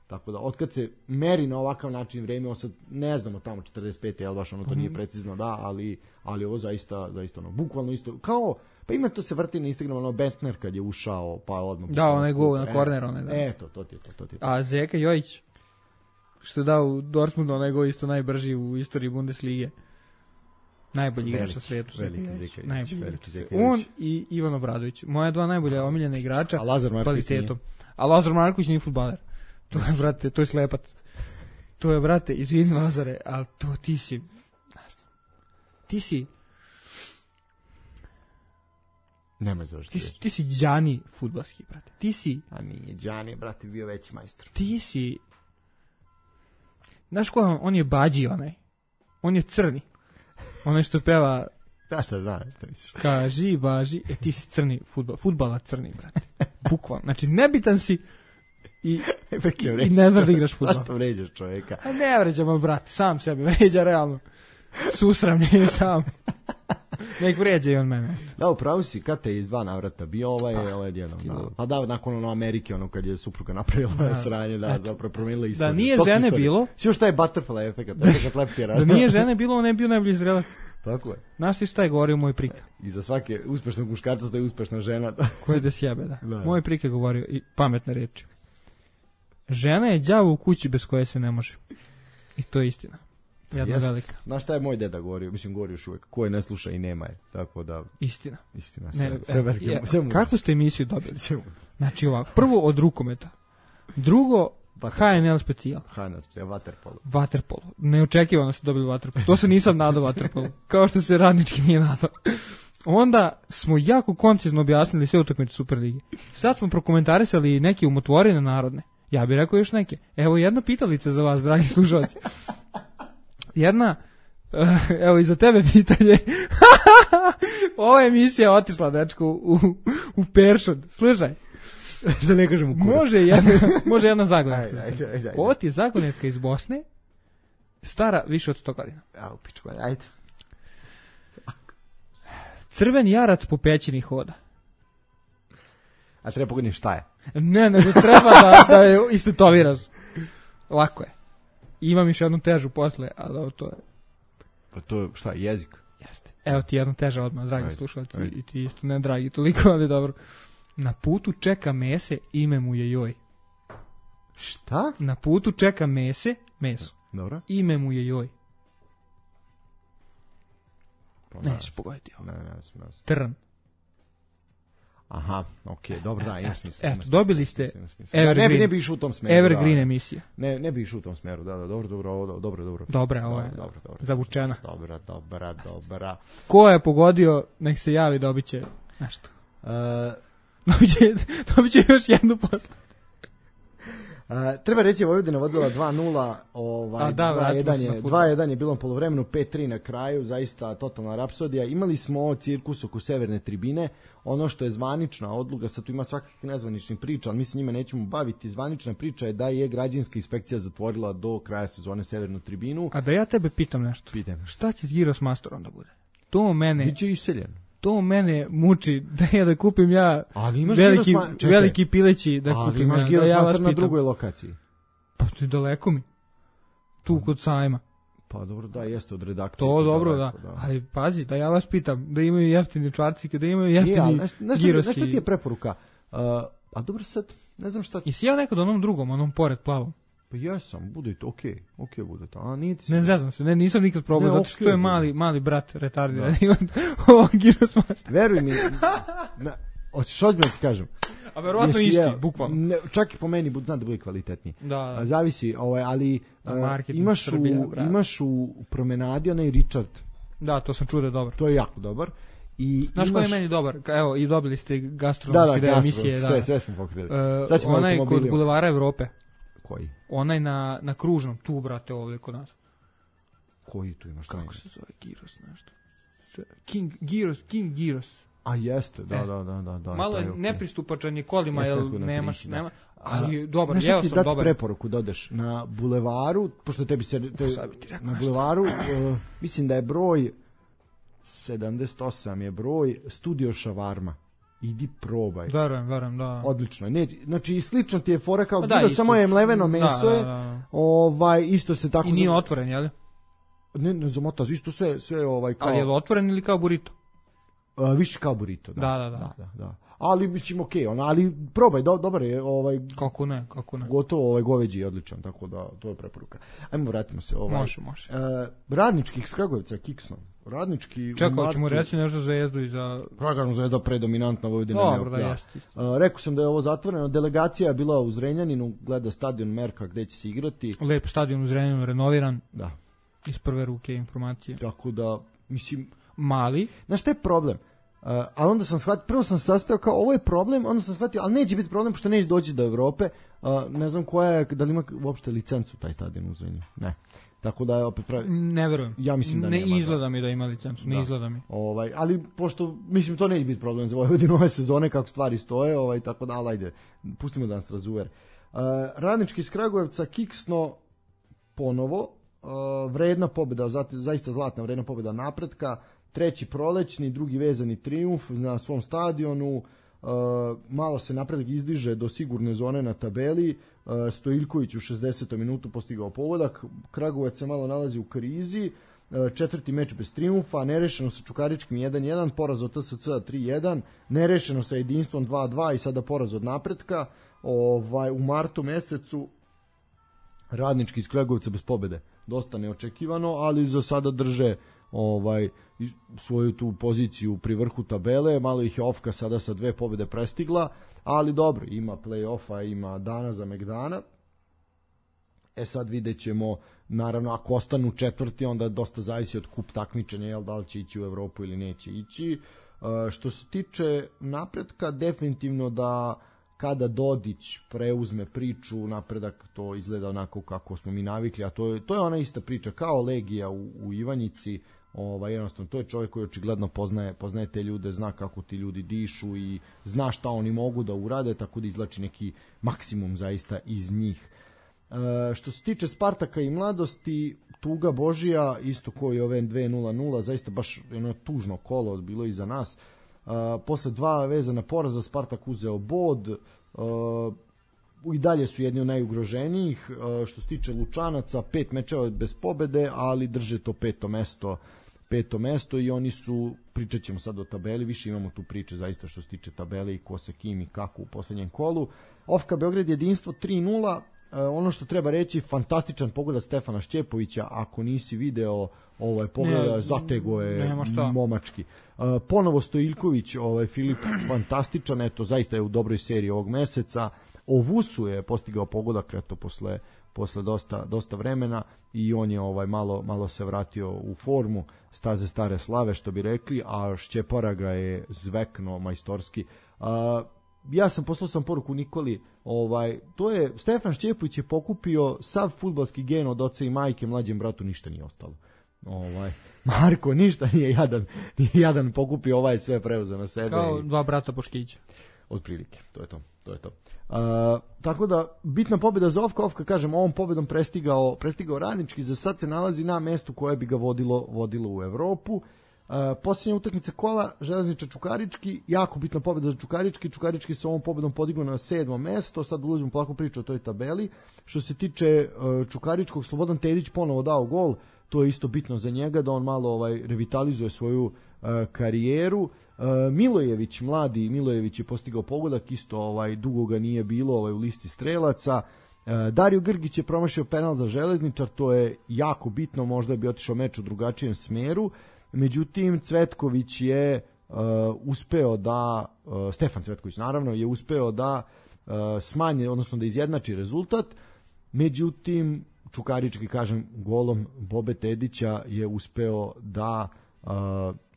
Tako da, otkad se meri na ovakav način vreme, on sad ne znamo tamo četrdeset pet, jel baš ono to nije precizno, da, ali, ali ovo zaista, zaista ono, bukvalno isto, kao, pa ima to se vrti na Instagramu, ono, Bentner kad je ušao, pa odmah. Da, onaj gol na korner, onaj, da. Eto, to ti je to, to ti je to. A Zeka Jojić, što je dao u Dortmundu onaj gol isto najbrži u istoriji Bundeslige. Najbolji igrač na svijetu. Veliki Zeka. Najbolji igrač. On i Ivan Obradović. Moja dva najbolja omiljena igrača. A Lazar Marković nije. A Lazar Marković nije fudbaler. To je, brate, to je slepac. To je, brate, izvini Lazare, ali to ti si... Ti si... Nemoj završiti. Ti, ti si Đani fudbalski, brate. Ti si... A nije, Đani, brate, bio veći majstor. Ti si... Znaš ko je on? On je Bađi, onaj. On je crni. Onaj što peva... Da, da, znaš što misliš. Kaži, važi, e ti si crni futbal. Futbala crni, brate. Bukvalno. Znači, nebitan si i, i ne znaš da igraš futbal. Zašto vređaš čovjeka? A ne vređam, ali brate, sam sebe vređa, realno. Susramljen sam. Nek vređa i on mene. Da, upravo si, kad te iz dva navrata bio ovaj, pa, ovaj jednom. Da. Pa da, nakon ono Amerike, ono kad je supruga napravila da. sranje, da, zapravo promijenila istoriju. Da nije žene istoriju. Bilo... Sve šta je butterfly efekt, efekt lepke rada. Da nije žene bilo, on ne bio najbolji zrelac. Tako je. Znaš ti šta je govorio moj prika? I za svake uspešnog muškarca stoji uspešna žena. Ko je da sjebe, da. da. Moj prika je govorio i pametne reči. Žena je đavo u kući bez koje se ne može. I to je istina. Jedna Jest. velika. Znaš šta je moj deda govorio? Mislim, govori još uvijek. Ko je ne sluša i nema je. Tako da... Istina. Istina. Sve, ne, sve velike, je, sve kako ste emisiju dobili? Znači ovako. Prvo od rukometa. Drugo, H N L specijal. H N L specijal, vaterpolo. Vaterpolo. Neočekivano ste dobili vaterpolo. To se nisam nadao vaterpolo. Kao što se radnički nije nadao. Onda smo jako koncizno objasnili sve utakmice Superlige. Sad smo prokomentarisali neke umotvorine narodne. Ja bih rekao još neke. Evo jedna pitalica za vas, dragi slušalci. Jedna, uh, evo i za tebe pitanje. Ova emisija otišla, dečko, u, u peršod. Slušaj. Da ne kažem u kurac. Može jedna, može jedna zagonetka. Ovo ti je zagonetka iz Bosne, stara više od sto godina. Evo, pičko, ajde. Crveni jarac po pećini hoda. A treba pogledati šta je? Ne, nego treba da, da je istetoviraš. Lako je. Imam još jednu težu posle, ali to je... Pa to je šta, jezik? Jeste. Evo ti jedna teža odmah, dragi slušalci, i ti isto ne dragi toliko, ali dobro. Na putu čeka mese, ime mu je joj. Šta? Na putu čeka mese, meso. Dobro. Ime mu je joj. Pa, nećeš pogoditi ovo. Ne, ne, ne, ne. Trn. Aha, okej, okay, dobro, da, ima smisla. Eto, dobili ste Evergreen. Ne bi, ne bi išao u tom smjeru. Evergreen da, emisija. Ne, ne bi išao u tom smjeru, da, da, dobro, dobro, ovo, dobro, dobro. Dobra, ovo je dobro, dobro, zavučena. Dobra, dobra, dobra. Ko je pogodio, nek se javi, dobit će nešto. Uh, dobit, će, dobit će još jednu poslu. Uh, treba reći, Vojvodina vodila dva nula, ovaj, dva jedan je, dva jedan je bilo na polovremenu, pet tri na kraju, zaista totalna rapsodija. Imali smo cirkus oko severne tribine, ono što je zvanična odluka, sad tu ima svakakvih nezvaničnih priča, ali mi se njima nećemo baviti. Zvanična priča je da je građanska inspekcija zatvorila do kraja sezone severnu tribinu. A da ja tebe pitam nešto, Pitam. Šta će s Giros Mastorom da bude? To mene... Biće iseljen. To mene muči da ja da kupim ja veliki, ma... veliki pileći da ali kupim imaš ja. Giros Da ja Master na drugoj lokaciji. Pa to je daleko mi. Tu kod sajma. Pa dobro, da, jeste od redakcije. To dobro, daleko, da. da. Ali pazi, da ja vas pitam, da imaju jeftini čvarcike, da imaju jeftini Girosi. Znaš šta ti je preporuka? Uh, a dobro sad, ne znam šta... I si ja nekad onom drugom, onom pored plavom? Pa jesam, bude to, okej, okay, okej okay bude to, a nije ti... Ne znam se, ne, nisam nikad probao, zato što okay, je mali, mali brat retardirani od ovog Giros Master. Veruj mi, na, hoćeš odmah ti kažem. A verovatno isti, ja, bukvalno. Ne, čak i po meni, znam da bude kvalitetniji. Da, da. Zavisi, ovaj, ali uh, imaš, Srbija, u, imaš u promenadi onaj Richard. Da, to sam čuo da je dobar. To je jako dobar. I znaš imaš... koji je meni dobar? Evo, i dobili ste gastronomski da, da, emisije. Sve, sve smo pokrili. Uh, onaj kod Bulevara Evrope. Koji? Onaj na, na Kružnom, tu, brate, ovdje kod nas. Koji tu imaš? Kako se zove? Giros nešto. King Giros, King Giros. A jeste, da, e. da, da, da, da. Malo je nepristupačan je kolima, jel nemaš, priči, nema, ali dobar, jeo sam dobar. dobar. Preporuku da odeš na bulevaru, pošto tebi se, te, na bulevaru, uh, mislim da je broj sedamdeset osam je broj Studio Šavarma. Idi probaj. Verujem, verujem, da. Odlično. Ne, znači slično ti je fora kao pa Giro, samo je mleveno meso je. Da, da, da. Ovaj isto se tako. I nije zam... otvoren, je li? Ne, ne zamota, isto sve sve ovaj kao. Ali je li otvoren ili kao burrito? Uh, više kao burrito, da. Da, da, da. da, da, da. Ali mislim okej, okay, ona, ali probaj, do, dobar je ovaj. Kako ne, kako ne. Gotovo ovaj goveđi je odličan, tako da to je preporuka. Ajmo vratimo se ovaj. Može, može. Uh, radničkih s Kragujevca kiksnom. Radnički Čekao ćemo reći nešto Zvezdu i za... Kažem, Zvezda predominantna Vojvodina. Dobro, da jeste. Uh, rekao sam da je ovo zatvoreno. Delegacija je bila u Zrenjaninu, gleda stadion Merka gde će se igrati. Lep stadion u Zrenjaninu, renoviran. Da. Iz prve ruke informacije. Tako da, mislim... Mali. Znaš, šta je problem? Uh, ali onda sam shvatio, prvo sam sastao kao ovo je problem, onda sam shvatio, ali neće biti problem pošto neće doći do Evrope. Uh, ne znam koja je, da li ima uopšte licencu taj stadion u Zrenjaninu. Ne. Tako da je opet pravi... Ne verujem. Ja mislim da ne nema. Ne izgleda mi da ima licencu, ne da. izgleda mi. Ovaj, ali pošto, mislim, to neće biti problem za Vojvodinu ove sezone, kako stvari stoje, ovaj, tako da, ali ajde, pustimo da nas razuver. Uh, Radnički iz Kragujevca kiksno ponovo, uh, vredna pobjeda, zaista zlatna vredna pobjeda napretka, treći prolećni, drugi vezani trijumf na svom stadionu, uh, malo se napredak izdiže do sigurne zone na tabeli, uh, Stojiljković u šezdesetom minutu postigao pogodak, Kragujevac se malo nalazi u krizi, uh, četvrti meč bez trijumfa, nerešeno sa Čukaričkim jedan jedan, poraz od T S C tri jedan, nerešeno sa Jedinstvom dva dva i sada poraz od napretka. Ovaj, u martu mesecu Radnički iz Kragujevca bez pobjede, dosta neočekivano, ali za sada drže ovaj svoju tu poziciju pri vrhu tabele, malo ih je Ofka sada sa dve pobjede prestigla, ali dobro, ima play-offa, ima dana za Megdana. E sad vidjet ćemo, naravno, ako ostanu četvrti, onda dosta zavisi od kup takmičenja, jel, da li će ići u Evropu ili neće ići. E, što se tiče napretka, definitivno da kada Dodić preuzme priču, napredak to izgleda onako kako smo mi navikli, a to je, to je ona ista priča, kao Legija u, u Ivanjici. Ovaj, jednostavno, to je čovjek koji očigledno poznaje, poznaje te ljude, zna kako ti ljudi dišu i zna šta oni mogu da urade, tako da izlači neki maksimum zaista iz njih. E, što se tiče Spartaka i Mladosti, tuga Božija, isto koji ove dve nula nula, zaista baš jedno tužno kolo bilo iza nas. E, posle dva vezana poraza Spartak uzeo bod, e, i dalje su jedni od najugroženijih. E, što se tiče Lučanaca, pet mečeva bez pobede, ali drže to peto mesto peto mesto i oni su, pričat ćemo sad o tabeli, više imamo tu priče zaista što se tiče tabele i ko se kim i kako u poslednjem kolu. Ofka Beograd Jedinstvo tri nula, e, ono što treba reći, fantastičan pogodak Stefana Šćepovića, ako nisi video ovaj pogleda, zatego je momački. E, ponovo Stojiljković, ovaj Filip, fantastičan, eto, zaista je u dobroj seriji ovog meseca. Ovusu je postigao pogodak, eto, posle posle dosta dosta vremena i on je ovaj malo malo se vratio u formu, staze stare slave što bi rekli, a Šćepara ga je zvekno majstorski. A, ja sam poslao sam poruku Nikoli, ovaj to je Stefan Šćepović je pokupio sav fudbalski gen od oca i majke, mlađem bratu ništa nije ostalo. Ovaj Marko ništa nije jadan, nije jadan pokupio, ovaj sve preuzeo na sebe. Kao i... dva brata Boškića. Otprilike, to je to, to je to. Uh, tako da, bitna pobjeda za Ofka, Ofka, kažem, ovom pobjedom prestigao, prestigao Radnički, za sad se nalazi na mestu koje bi ga vodilo, vodilo u Evropu. Uh, posljednja utakmica kola, Železničar Čukarički, jako bitna pobjeda za Čukarički, Čukarički se ovom pobjedom podigao na sedmo mesto, sad ulazimo polako priču o toj tabeli. Što se tiče uh, Čukaričkog, Slobodan Tedić ponovo dao gol, to je isto bitno za njega, da on malo ovaj revitalizuje svoju uh, karijeru. Uh, Milojević, mladi Milojević je postigao pogodak, isto ovaj dugo ga nije bilo ovaj u listi strelaca. Uh, Dario Grgić je promašio penal za Železničar, to je jako bitno, možda bi otišao meč u drugačijem smeru. Međutim, Cvetković je uh, uspeo da, uh, Stefan Cvetković naravno, je uspeo da uh, smanji, odnosno da izjednači rezultat. Međutim, Čukarički, kažem, golom Bobe Tedića je uspeo da uh,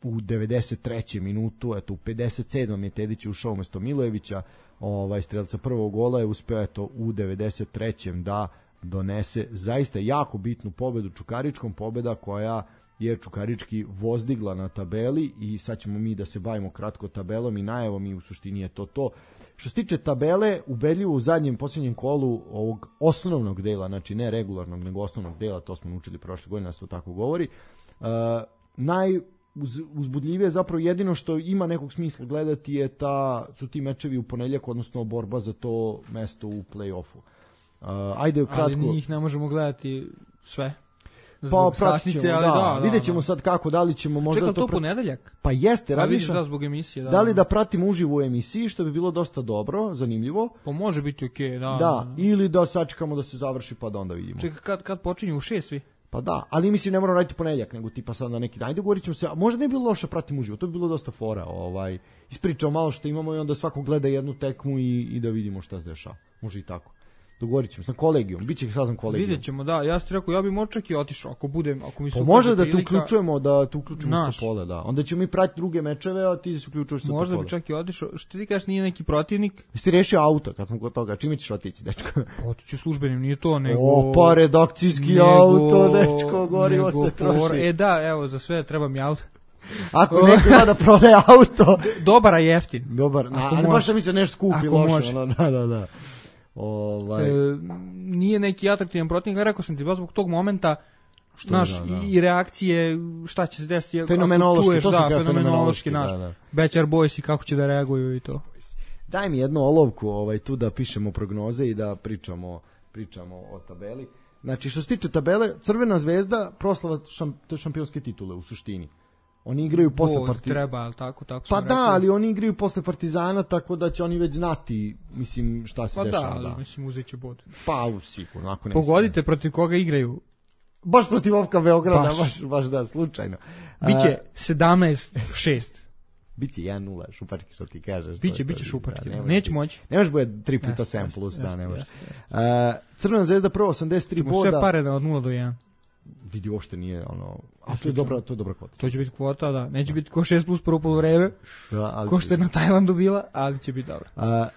u devedeset trećem minutu, eto u pedeset sedmom je Tedić ušao umesto Milojevića, ovaj strelca prvog gola je uspeo eto u devedeset trećem da donese zaista jako bitnu pobedu Čukaričkom, pobeda koja je Čukarički vozdigla na tabeli i sad ćemo mi da se bavimo kratko tabelom i najavom i u suštini je to to. Što se tiče tabele, ubedljivo u zadnjem posljednjem kolu ovog osnovnog dela, znači ne regularnog nego osnovnog dela, to smo naučili prošle godine, da se to tako govori, uh, najuzbudljivije zapravo jedino što ima nekog smisla gledati je ta, su ti mečevi u ponedjeljak, odnosno borba za to mesto u play-offu. Uh, ajde kratko. Ali njih ne možemo gledati sve. Pa pratit ćemo, da, da, da, vidjet ćemo da. Sad kako, da li ćemo možda... Čekam to, to pr... ponedeljak? Pa jeste, pa radiš... Da, zbog emisije, da. Da li da pratimo uživo u emisiji, što bi bilo dosta dobro, zanimljivo. Pa može biti okej, okay, da. Da, ili da sačekamo da se završi pa da onda vidimo. Čekaj, kad, kad počinju u šest svi? Pa da, ali mislim ne moramo raditi ponedjeljak, nego tipa sad na neki dan. Ajde, govorit ćemo se, a možda ne bi bilo loše pratiti uživo, to bi bilo dosta fora. Ovaj, ispričao malo što imamo i onda svako gleda jednu tekmu i, i da vidimo šta se dešava. Može i tako. Dogovorit ćemo se na kolegijum, bit će sazvan kolegijum. Vidjet ćemo, da, ja ti rekao, ja bi možda čak i otišao, ako budem, ako mi se pa može da te uključujemo, da te uključimo u Topole, da. Onda ćemo mi pratiti druge mečeve, a ti se uključuješ sa Topole. Možda bi čak i otišao, što ti kažeš, nije neki protivnik? Jesi ti rešio auto kad smo kod toga, čime ćeš otići, dečko? Otiću službenim, nije to, nego... O, pa redakcijski nego, auto, dečko, gorivo se troši. For, e da, evo, za sve treba mi auto. Ako neko ima da prodaje auto... Dobar, a jeftin. Dobar, a, ali baš da mi se nešto skupi loše. Ono, da, da, da. Ovaj... E, nije neki atraktivan protivnik, rekao sam ti, baš zbog tog momenta, što naš, da, da. I reakcije, šta će se desiti, fenomenološki, čuješ, to da, fenomenološki, fenomenološki naš, da, da. Bećar Boys i kako će da reaguju i to. Daj mi jednu olovku ovaj, tu da pišemo prognoze i da pričamo, pričamo o tabeli. Znači, što se tiče tabele, Crvena zvezda proslava šamp, šampionske titule u suštini. Oni igraju posle Partizana. Treba, ali tako, tako pa da, rekli. Ali oni igraju posle Partizana, tako da će oni već znati, mislim, šta se pa dešava. Pa da, ali da. mislim, uzet će bod. Pa, sigurno. Ako ne pogodite protiv koga igraju. Baš protiv Ofka Beograda, baš, baš, baš da, slučajno. Biće sedamnaest šest. Biće jedan nula, šupački, što ti kažeš. Biće, biće šupački, da, neće moći. Ne može bude tri puta sedam plus, da, ne može. Crvena zvezda prvo osamdeset tri boda. Sve pare da od nula do jedan. Vidi, uopšte nije ono, a to je dobra, to je dobra kvota. To će biti kvota, da. Neće biti ko šest plus prvo poluvreme, da, ko što je na Tajlandu bila, ali će biti dobra. A,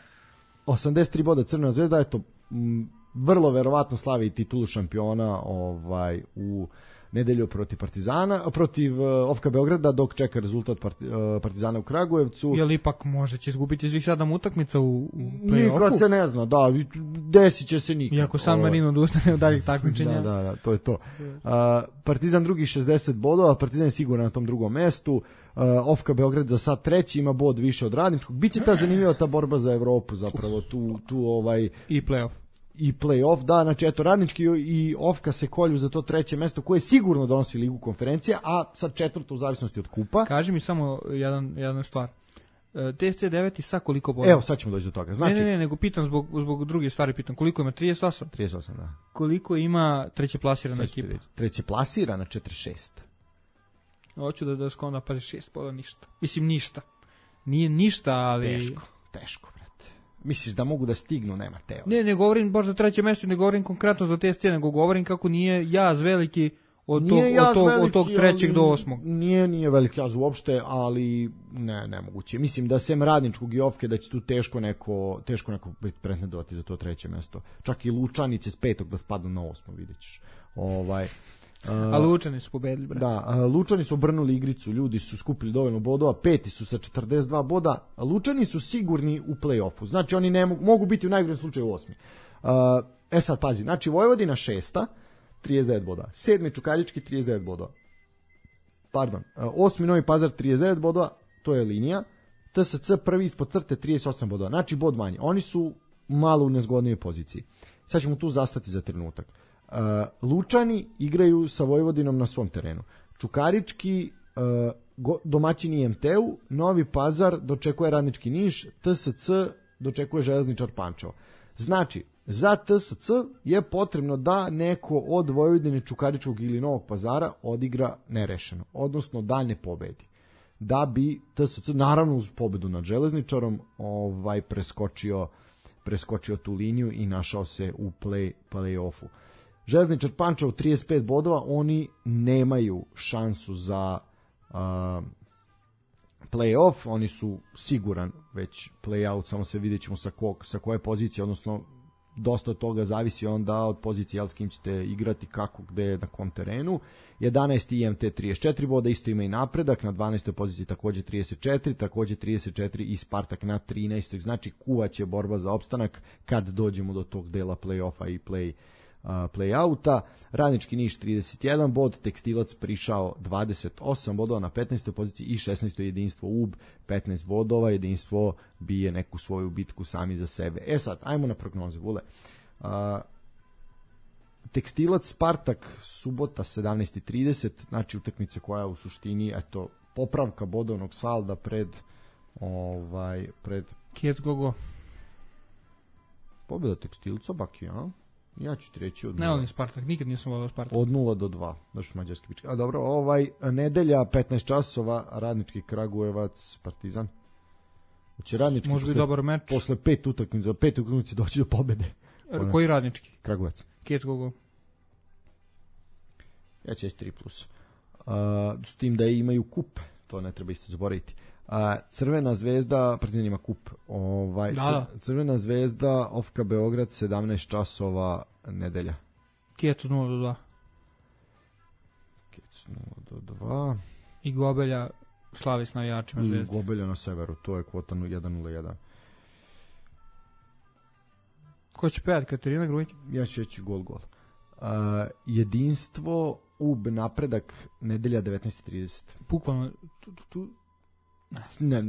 osamdeset tri boda Crvena zvezda, eto, m, vrlo verovatno slavi titulu šampiona ovaj, u nedelju protiv Partizana, protiv uh, Ofka Beograda, dok čeka rezultat part, uh, Partizana u Kragujevcu. Jel ipak može će izgubiti svih sedam utakmica u, u play-offu? Nikad se ne zna, da, desit će se nikad. Iako San Marino odustane od daljih takmičenja. Da, da, da, to je to. Uh, Partizan drugi šezdeset bodova, Partizan je siguran na tom drugom mestu. Uh, Ofka Beograd za sad treći, ima bod više od Radničkog. Biće ta zanimljiva ta borba za Evropu, zapravo tu, tu ovaj... I play-off. I play-off, da, znači eto Radnički i Ofka se kolju za to treće mesto koje sigurno donosi Ligu konferencija, a sad četvrto u zavisnosti od kupa. Kaži mi samo jedan, jedna stvar. T S C devet i sa koliko bodova? Evo, sad ćemo doći do toga. Znači, ne, ne, ne, nego pitam zbog, zbog druge stvari, pitam koliko ima trideset osam? trideset osam, da. Koliko ima treće plasirana ekipa? Treće plasirana četrdeset šest. Hoću da da skonda pa šest bodova ništa. Mislim ništa. Nije ništa, ali teško, teško. Misliš da mogu da stignu, nema teo. Ne, ne govorim baš za treće mesto, ne govorim konkretno za te scene, nego govorim kako nije jaz veliki od tog, od tog, veliki, od tog trećeg do osmog. Nije, nije veliki jaz uopšte, ali ne, nemoguće. Mislim da sem Radničkog i Ofke da će tu teško neko, teško neko biti pretendovati za to treće mesto. Čak i Lučanice s petog da spadnu na osmo, vidjet ćeš. Ovaj... Uh, a Lučani su pobedili, bre. Da, uh, Lučani su obrnuli igricu, ljudi su skupili dovoljno bodova, peti su sa četrdeset dva boda, a Lučani su sigurni u play-offu, znači oni ne mogu, mogu biti u najgorem slučaju osmi. Uh, e sad, pazi, znači Vojvodina šesta, trideset devet boda, sedmi Čukarički, trideset devet bodova, pardon, uh, osmi Novi Pazar, trideset devet bodova, to je linija, T S C prvi ispod crte, trideset osam bodova, znači bod manje, oni su malo u nezgodnijoj poziciji. Sad ćemo tu zastati za trenutak. Uh, Lučani igraju sa Vojvodinom na svom terenu. Čukarički uh, go, domaćini I M T-u, Novi Pazar dočekuje Radnički Niš, T S C dočekuje Železničar Pančevo. Znači, za T S C je potrebno da neko od Vojvodine, Čukaričkog ili Novog Pazara odigra nerešeno, odnosno da ne pobedi. Da bi T S C, naravno uz pobedu nad Železničarom, ovaj preskočio, preskočio tu liniju i našao se u play, play-offu. Železničar Pančevo trideset pet bodova, oni nemaju šansu za uh, play-off, oni su siguran već play-out, samo se vidjet ćemo sa, kog, sa koje pozicije, odnosno dosta od toga zavisi onda od pozicije, jel s kim ćete igrati, kako, gde, na kom terenu. jedanaesti I M T trideset četiri boda, isto ima i Napredak, na dvanaestoj poziciji također trideset četiri, također trideset četiri i Spartak na trinaestoj, znači kuvaće borba za opstanak kad dođemo do tog dela play-offa i play Uh, play-outa. Radnički Niš trideset jedan bod, Tekstilac prišao dvadeset osam bodova na petnaestoj poziciji i šesnaestoj jedinstvo U B petnaest bodova, jedinstvo bije neku svoju bitku sami za sebe. E sad, ajmo na prognoze, Vule. Uh, Tekstilac Spartak subota sedamnaest i trideset, znači utakmica koja u suštini eto popravka bodovnog salda pred ovaj pred Kiec Gogo. Pobjeda Tekstilca Baki, a? Ja ću ti reći od Ne volim Spartak, nikad nisam volio Spartak. Od nula do dva, da što mađarski pička. A dobro, ovaj, nedelja, petnaest časova, Radnički Kragujevac, Partizan. Znači, Radnički može biti dobar meč. Posle pet utakmica, pet utakmica doći do pobede. R- koji Radnički? Kragujevac. Kjec gogo. Ja ću tri plus. Uh, s tim da imaju kup, to ne treba isto zaboraviti. Uh, Crvena zvezda, Partizan ima kup. Ovaj, da, da. Crvena zvezda, Ofka Beograd, sedamnaest časova, nedelja. Kjec nula do dva. Kjec nula do dva. I Gobelja slavi s navijačima Zvezde. Gobelja na severu, to je kvota jedan nula jedan. Ko će pevati, Katarina Grujić? Ja ću reći gol, gol. Uh, jedinstvo, U B, napredak, nedelja devetnaest trideset. Bukvalno, tu, tu, tu. Ne, ne,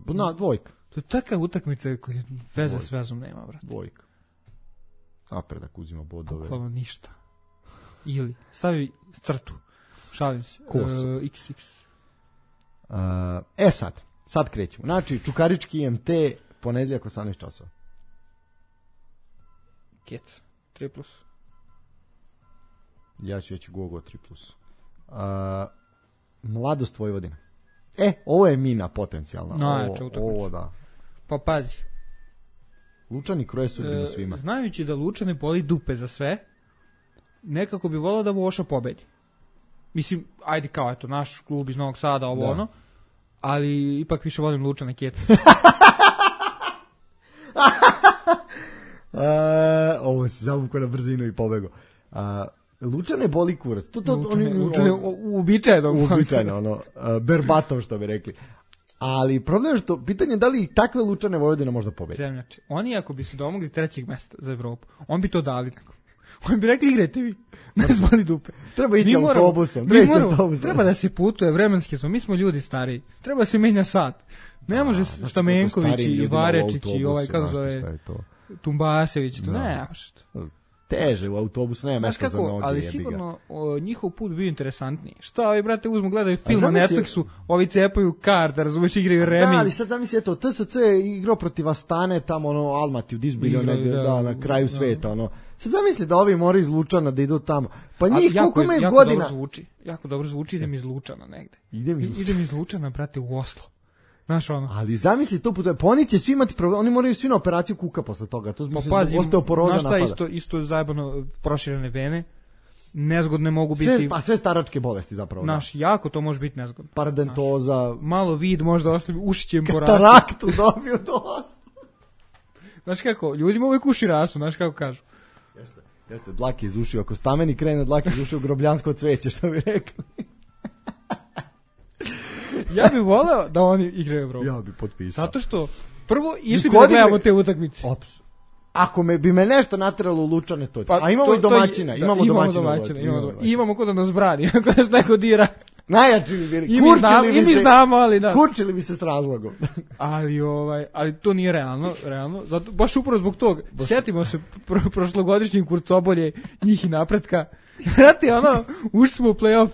na, dvojka. To je takva utakmica koja veze s vezom nema, brate. Dvojka. Napredak uzima bodove. Bukvalno ništa. Ili, stavi crtu. Šalim se. Kosu. Uh, iks iks. Uh, e sad, sad krećemo. Znači, Čukarički I M T, ponedeljak osamnaest časova. Kjec, tri plus. Ja ću reći Gogo tri plus. Uh, Mladost Vojvodina. E, ovo je mina potencijalna. Najjača ovo, utakmica. ovo da. Pa pazi. Lučani kroje sudbinu E, svima. znajući da Lučane boli dupe za sve, nekako bi volao da Voša pobedi. Mislim, ajde kao, eto, naš klub iz Novog Sada, ovo Da. ono, ali ipak više volim Lučane Kjec. Uh, ovo se zavukao na brzinu i pobego. Uh, Lučane boli kurac. To, to, Lučane, oni, Lučane, on, uobičajeno. uobičajeno, ono, uh, berbatov što bi rekli. Ali problem je što, pitanje je da li i takve Lučane Vojvodina možda pobedi. Zemljače. Oni ako bi se domogli trećeg mesta za Evropu, on bi to dali nekom. Oni bi rekli igrajte vi. Ne zvali dupe. Treba ići Mi moramo- autobusom. mi Treba ići moramo- autobusom. Treba da se putuje, vremenski smo, mi smo ljudi stariji. Treba da se menja sat. Ne može Znaš Stamenković kako starijim i ljudima u Varečić i autobusu, ovaj, kako znaš ti šta zove, je to? Tumbasević. To Da. ne, može to. Teže u autobusu, nema Znaš mesta za kako, noge. ali jebi ga. sigurno o, njihov put bio interesantniji. Šta ovi, brate, uzmu, gledaju film na zamisli- Netflixu, ovi cepaju kart, da razumeš, igraju remi. Da, ali sad zamisli, eto, T S C je igrao protiv Astane, tamo ono, Almaty u Disbilju, Igraju, negde, da, da, na kraju da. sveta, ono. Sad zamisli da ovi moraju iz Lučana da idu tamo. Pa A njih, jako, koliko imaju jako godina? dobro zvuči. Jako dobro zvuči, idem iz Lučana negde. Idem iz I- Idem iz Lučana, brate, u Oslo. Znaš ono. Ali zamisli to puta, pa oni će svi imati problem, oni moraju svi na operaciju kuka posle toga, to Pa mislim, pazi, osteoporoza znaš šta je napada. isto, isto zajebano proširene vene, nezgodne mogu biti, Sve, pa sve staračke bolesti zapravo. znaš, jako to može biti nezgodno. Da. Paradentoza, Malo vid možda ostavi, uši će im porasti. kataraktu dobio dosta. Znaš kako, ljudima uvijek uši rastu, znaš kako kažu. Jeste, jeste, dlake iz ušiju, ako stameni krene dlake iz ušiju, grobljansko cveće, što bi rekli. Ja bih voleo da oni igraju Evropu. Ja bi potpisao. Zato što, prvo, išli bi Niko da gledamo odigra- te utakmice. Ops. Ako me bi me nešto nateralo u Lučane, to je. Pa, A imamo to- i to domaćina, je- imamo da, domaćina. domaćina, imamo, imamo domaćina. I imamo ko da nas brani, ako nas neko dira. Najjači bi bili. I mi znamo, Kurčili i bi mi se, znamo, ali da. kurčili bi se s razlogom. Ali ovaj, ali to nije realno, realno. Zato baš upravo zbog tog. Sjetimo se pro, prošlogodišnjeg Kurcobolje, njih i napretka. Znate, ono, ušli smo u play-off,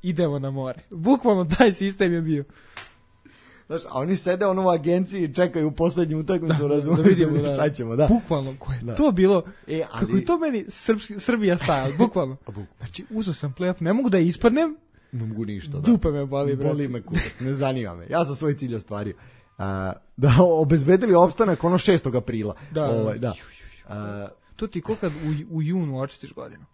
idemo na more. Bukvalno taj sistem je bio. Znaš, a oni sede ono u agenciji i čekaju u poslednju utakmicu, Da, razumiješ, da vidimo, da. šta ćemo, da. Bukvalno, ko je Da. to bilo, E, ali- kako je to meni srpski, Srbija stajala, bukvalno. Znači, uzeo sam play-off, ne mogu da ispadnem, Ne mogu ništa, da. dupe me boli, brate. Boli me kurac, ne zanima me. Ja sam svoj cilj ostvario. A, da obezbedili opstanak ono šestog aprila. Da. Ovaj, da. A, To ti ko kad u, u junu očistiš godinu.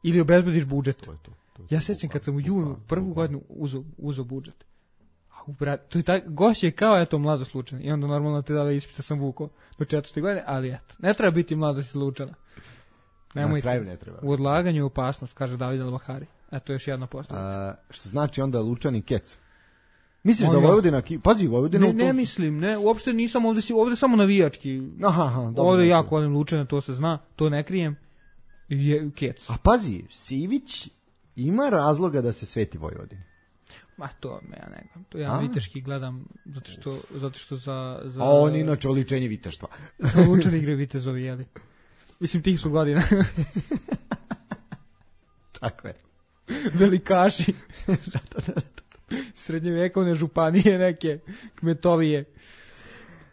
Ili obezbediš budžet. to je to. to je Ja to. sećam kad sam u junu prvu godinu uzeo uzeo budžet. A u brat, to je tak goš je kao eto mladost Lučana. I onda normalno te dale ispita sam vukao do četvrte godine, ali eto. Ne treba biti mladost Lučana. Na Nemojte. kraju ne treba. U odlaganju je opasnost, kaže David Al-Bahari. Eto još jedna posljedica. A, što znači onda Lučan i Kec. Misliš Ma da ja. Vojvodina, ki- pazi Vojvodina Ne, u to- ne mislim, ne, uopšte nisam ovde, si, ovde samo navijački. Aha, aha, dobro, Ovde dobro. jako volim Lučana, to se zna, to ne krijem. Je Kec. A pazi, Sivić ima razloga da se sveti Vojvodini. Ma to me ja ne gledam. To ja A? viteški gledam zato što zato što za za A on inače oličenje viteštva. za Lučani igraju vitezovi, jeli. Mislim tih su godina. Tako je. Velikaši. Srednjevekovne županije neke, kmetovije.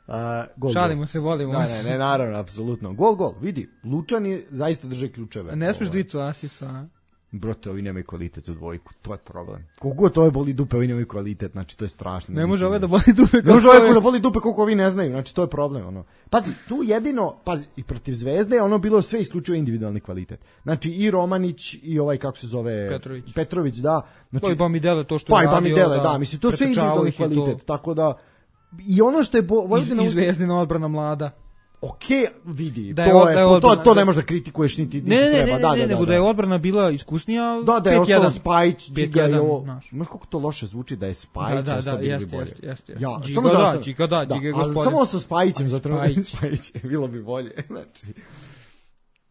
A, gol, Šalimo gol. se, volimo. Da, ne, ne, naravno, apsolutno. Gol, gol, vidi, Lučani zaista drže ključeve. Ne smiješ dvicu asisa, a? Brote, ovi nemaju kvalitet za dvojku, to je problem. Koliko to je boli dupe, ovi nemaju kvalitet, znači to je strašno. Ne može ove da boli dupe. Ne može ove da boli dupe koliko ovi ne znaju, znači to je problem. Ono. Pazi, tu jedino, pazi, i protiv Zvezde ono bilo sve isključivo individualni kvalitet. Znači i Romanić i ovaj, kako se zove... Petrović. Petrović, da. Znači, pa i Bamidele, to što pa je radio. Pa i Bamidele, da, da, mislim, to je sve individualni kvalitet, to... tako da... I ono što je... Bo, Vojvodina iz, Zvezdina odbrana mlada. Ok, vidi, da je, to, je, je odbrana, to, to ne možeš da kritikuješ niti, niti ne, ne, treba. Ne, ne, da, ne, da, nego da, da je odbrana bila iskusnija. Da, da je ostalo Spajić, Džiga i ovo. Ma kako to loše zvuči da je Spajić, da, da, da, da, jest, bolje. Jest, jest, jest. Ja, Džiga samo da, Džiga da, da, Džiga je gospodin. Samo sa Spajićem, zato Spajić. Spajić, bilo bi bolje. Znači,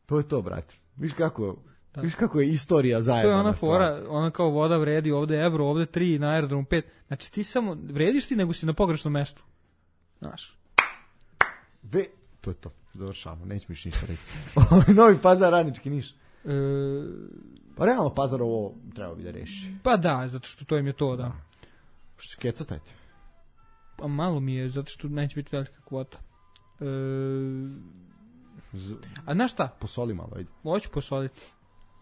to je to, brate. Viš kako... Da. Viš kako je istorija zajedno. To je ona fora, ona kao voda vredi, ovde evro, ovde tri, na aerodromu pet. Znači ti samo, vrediš ti nego si na pogrešnom mestu. Znaš. Ve, to je to, završamo, nećemo još ništa reći. Novi Pazar, Radnički Niš. E... Pa realno Pazar ovo treba bi da reši. Pa da, zato što to im je to, da. Što se keca stavite? Pa malo mi je, zato što neće biti velika kvota. E... Z... A znaš šta? Posoli malo, ajde. Hoću posoliti.